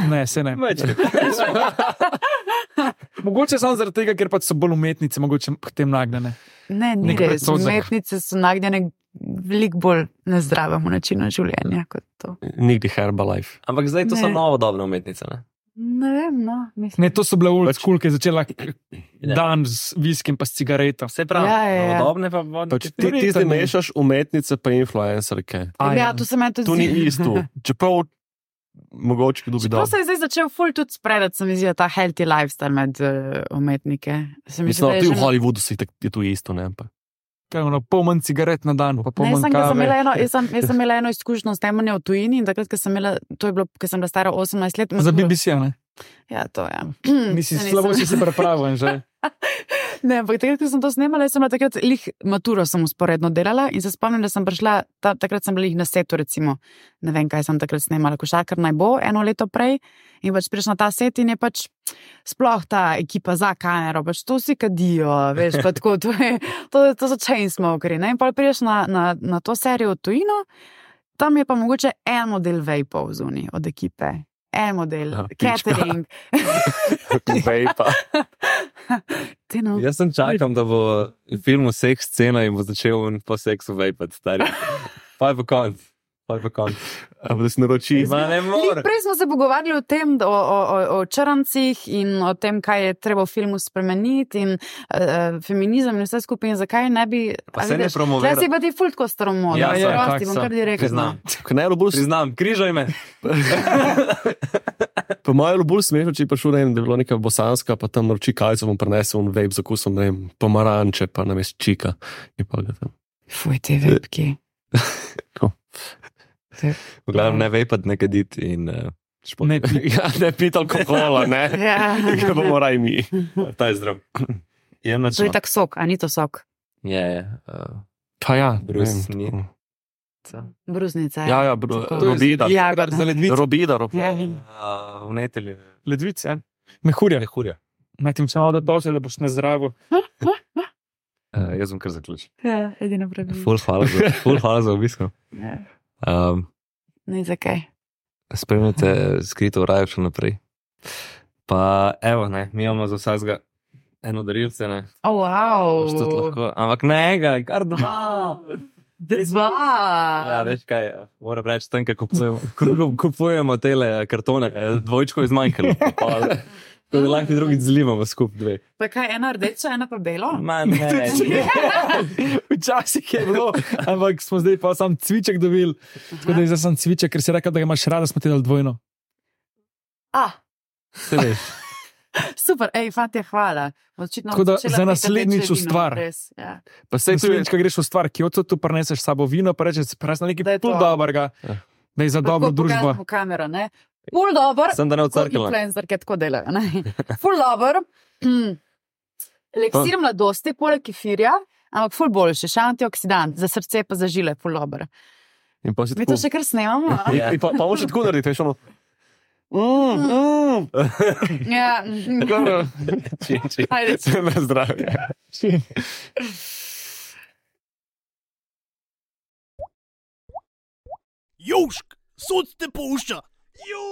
D: Ne, se ne. Mogoče samo zaradi tega, ker pač so bolj umetnice, mogoče k tem nagnjene.
C: Ne, ni
D: Nek
C: res.
D: predsodek.
C: Umetnice so nagnjene veliko bolj nezdravemu načinu življenja kot to.
E: Nikdi Herbalife.
B: Ampak zdaj to so
C: Ne.
B: novodobne umetnice, ne?
C: Ne vem, no. Mislim.
D: Ne, to so bile old
E: Pač-
D: school, ki je začela
B: Ja.
D: dan z viskim pa s cigareto.
B: Vse pravi,
C: Ja, ja, ja.
B: novodobne pa vodne.
E: Pač ti, ti zdaj mešaš umetnice pa influencerke.
D: A,
C: Ja,
D: ja.
C: to se meni tudi
E: To ni
C: zdi.
E: isto. Čeprav mogoče kdo bi
C: Čeprav
E: dal.
C: se je zdaj začel ful tudi spredati, se mi zdi, ta healthy lifestyle med uh, umetnike. Se mi zdi,
E: Mislim,
C: da je
E: ti
C: že
E: v Hollywoodu si tak- je to isto, ne? Pa.
D: Kaj, ono, pol manj cigaret na dan, pa pol
C: Ne,
D: manj
C: sem, sem imela
D: kave.
C: eno, jaz, sem, jaz sem imela eno izkušnjo s temanjem v tujini in takrat, ko sem imela, to je bilo, ko sem bila stara osemnajst let.
D: Za B B C, ne?
C: Ja, to je.
D: Nisi
C: Ja,
D: slabo,
C: nisem.
D: si se pripravil že.
C: Ne, ampak takrat, ko sem to snemala, jaz sem bila takrat, lih maturo sem usporedno delala in se spomnim, da sem prišla, ta, takrat sem bila lih na setu, recimo, ne vem, kaj sem takrat snemala, košarkar naj bo, eno leto prej in pač prišla na ta set in je pač sploh ta ekipa za kamero, pač to vsi kadijo, veš, pa tako, to, je, to, to so chainsmokeri, ne, in pa priješ na, na, na to serijo v tujino, tam je pa mogoče en model vejpov zunaj od ekipe. En model,
E: Ja, pička.
C: catering.
E: Vejpa.
C: Ti no.
B: Jaz sem čakam, da bo v filmu seks scena in bo začel in po seksu vejpati, stari. Pa je po konc. Pa je po konc.
E: Da si naroči.
B: Ma ne
C: Lih,
B: more.
C: prej smo se pogovarjali o tem, da- o, o, o, o črncih in o tem, kaj je treba v filmu spremeniti in uh, feminizem in vse skupaj in zakaj ne bi.
B: Pa
C: a
B: se ne
C: vidiš,
B: promovira.
C: Tle si pa ti fult ko staromodno.
B: Ja,
D: ja,
C: prosti,
D: tak
C: bom
D: so.
C: kar direktno.
B: Priznam.
E: Knelo bolj,
B: Priznam, križaj me.
E: po mojem, bolj smešno, če je prišel, ne vem, da je bilo neka bosanska, pa tam naroči kajco, bom prinesel un vape za kusom, ne vem, pomaranče, pa namest čika. In pa ga tam.
C: Fuj, te vepki.
E: Tako.
B: V glavnem ne vejpati, ne kaditi in uh, šport.
D: Ne, pi-
E: Ja, ne pit alkohola, ne.
C: Ja.
E: Ga bomo raj mi.
B: Ta je zdrav. Je
C: To je
B: način.
C: tak sok, a ni to sok.
B: Je, je. Uh,
E: Pa ja,
B: Brus
E: ne
B: ni.
E: vem.
C: Bruznica.
E: Ja, ja, bro,
C: Tako.
E: robida.
C: Jagoda.
D: Za ledvice.
E: Robida, rob.
C: Ja.
B: uh, vnetelj.
D: Ledvice, ja. Mehurja.
B: Mehurja.
D: Naj ti samo da to, da boš nezdravo.
B: Uh, jaz bom kar zaključil.
C: Ja, edino pravilno.
B: Ful hvala za, ful hvala za obisk.
C: Ja.
B: Um,
C: Ne, zakaj?
B: spremljate skrito v raju še naprej. Pa evo, ne, mi imamo za vsakega eno darilce, ne.
C: Oh, wow.
B: Boš tudi lahko, ampak ne enega, kar dva.
C: Dva.
B: Ja, veš kaj, moram reči, tam, ko kupujemo, ko kupujemo tele kartone, eh, dvojčko je zmanjkalo. Pa,
E: Tako da lahko drugi zlimamo skupaj dve.
C: Pa kaj, ena rdeča, ena pa belo?
B: Ma ne,
D: Včasih je bilo, ampak smo zdaj pa sam cviček dobili. Tako da je zdaj sam cviček, ker si rekel, da ga imaš rada, smo ti dali dvojno.
C: Ah,
E: Se veš.
C: super, ej, fantje, hvala. Očitno
D: Tako da
C: začela
D: za
C: piti
D: naslednjič
C: rdeče
D: v
C: vino,
D: stvar.
C: res, ja.
E: Pa sej tu je,
D: Naslednjič, ko greš v stvar, Kyoto, tu prineseš s sabo vino, pa rečeš, presno
C: Da je
D: nekaj
C: to.
D: pol dobrega,
E: Ja.
D: da je za dobro
C: Lahko
D: družbo.
C: pokažemo kamero, ne? Ful dober.
B: sem da ne odcrkala.
C: Influencerke tako delajo, ne? Ful dober. Mm. Eliksir mladosti, poleg kefirja, ampak ful boljši, še antioksidant, za srce pa za žile, ful dober.
E: in pa si
C: Mi
E: tako.
C: to še kar snemamo? a?
E: In pa, pa moš tako narediti, veš, ono. Mm, mm.
C: Ja.
E: Dobro. Čim, čim.
C: Ajde.
E: Na zdravje.
A: Južk, sod te pušča. Južk.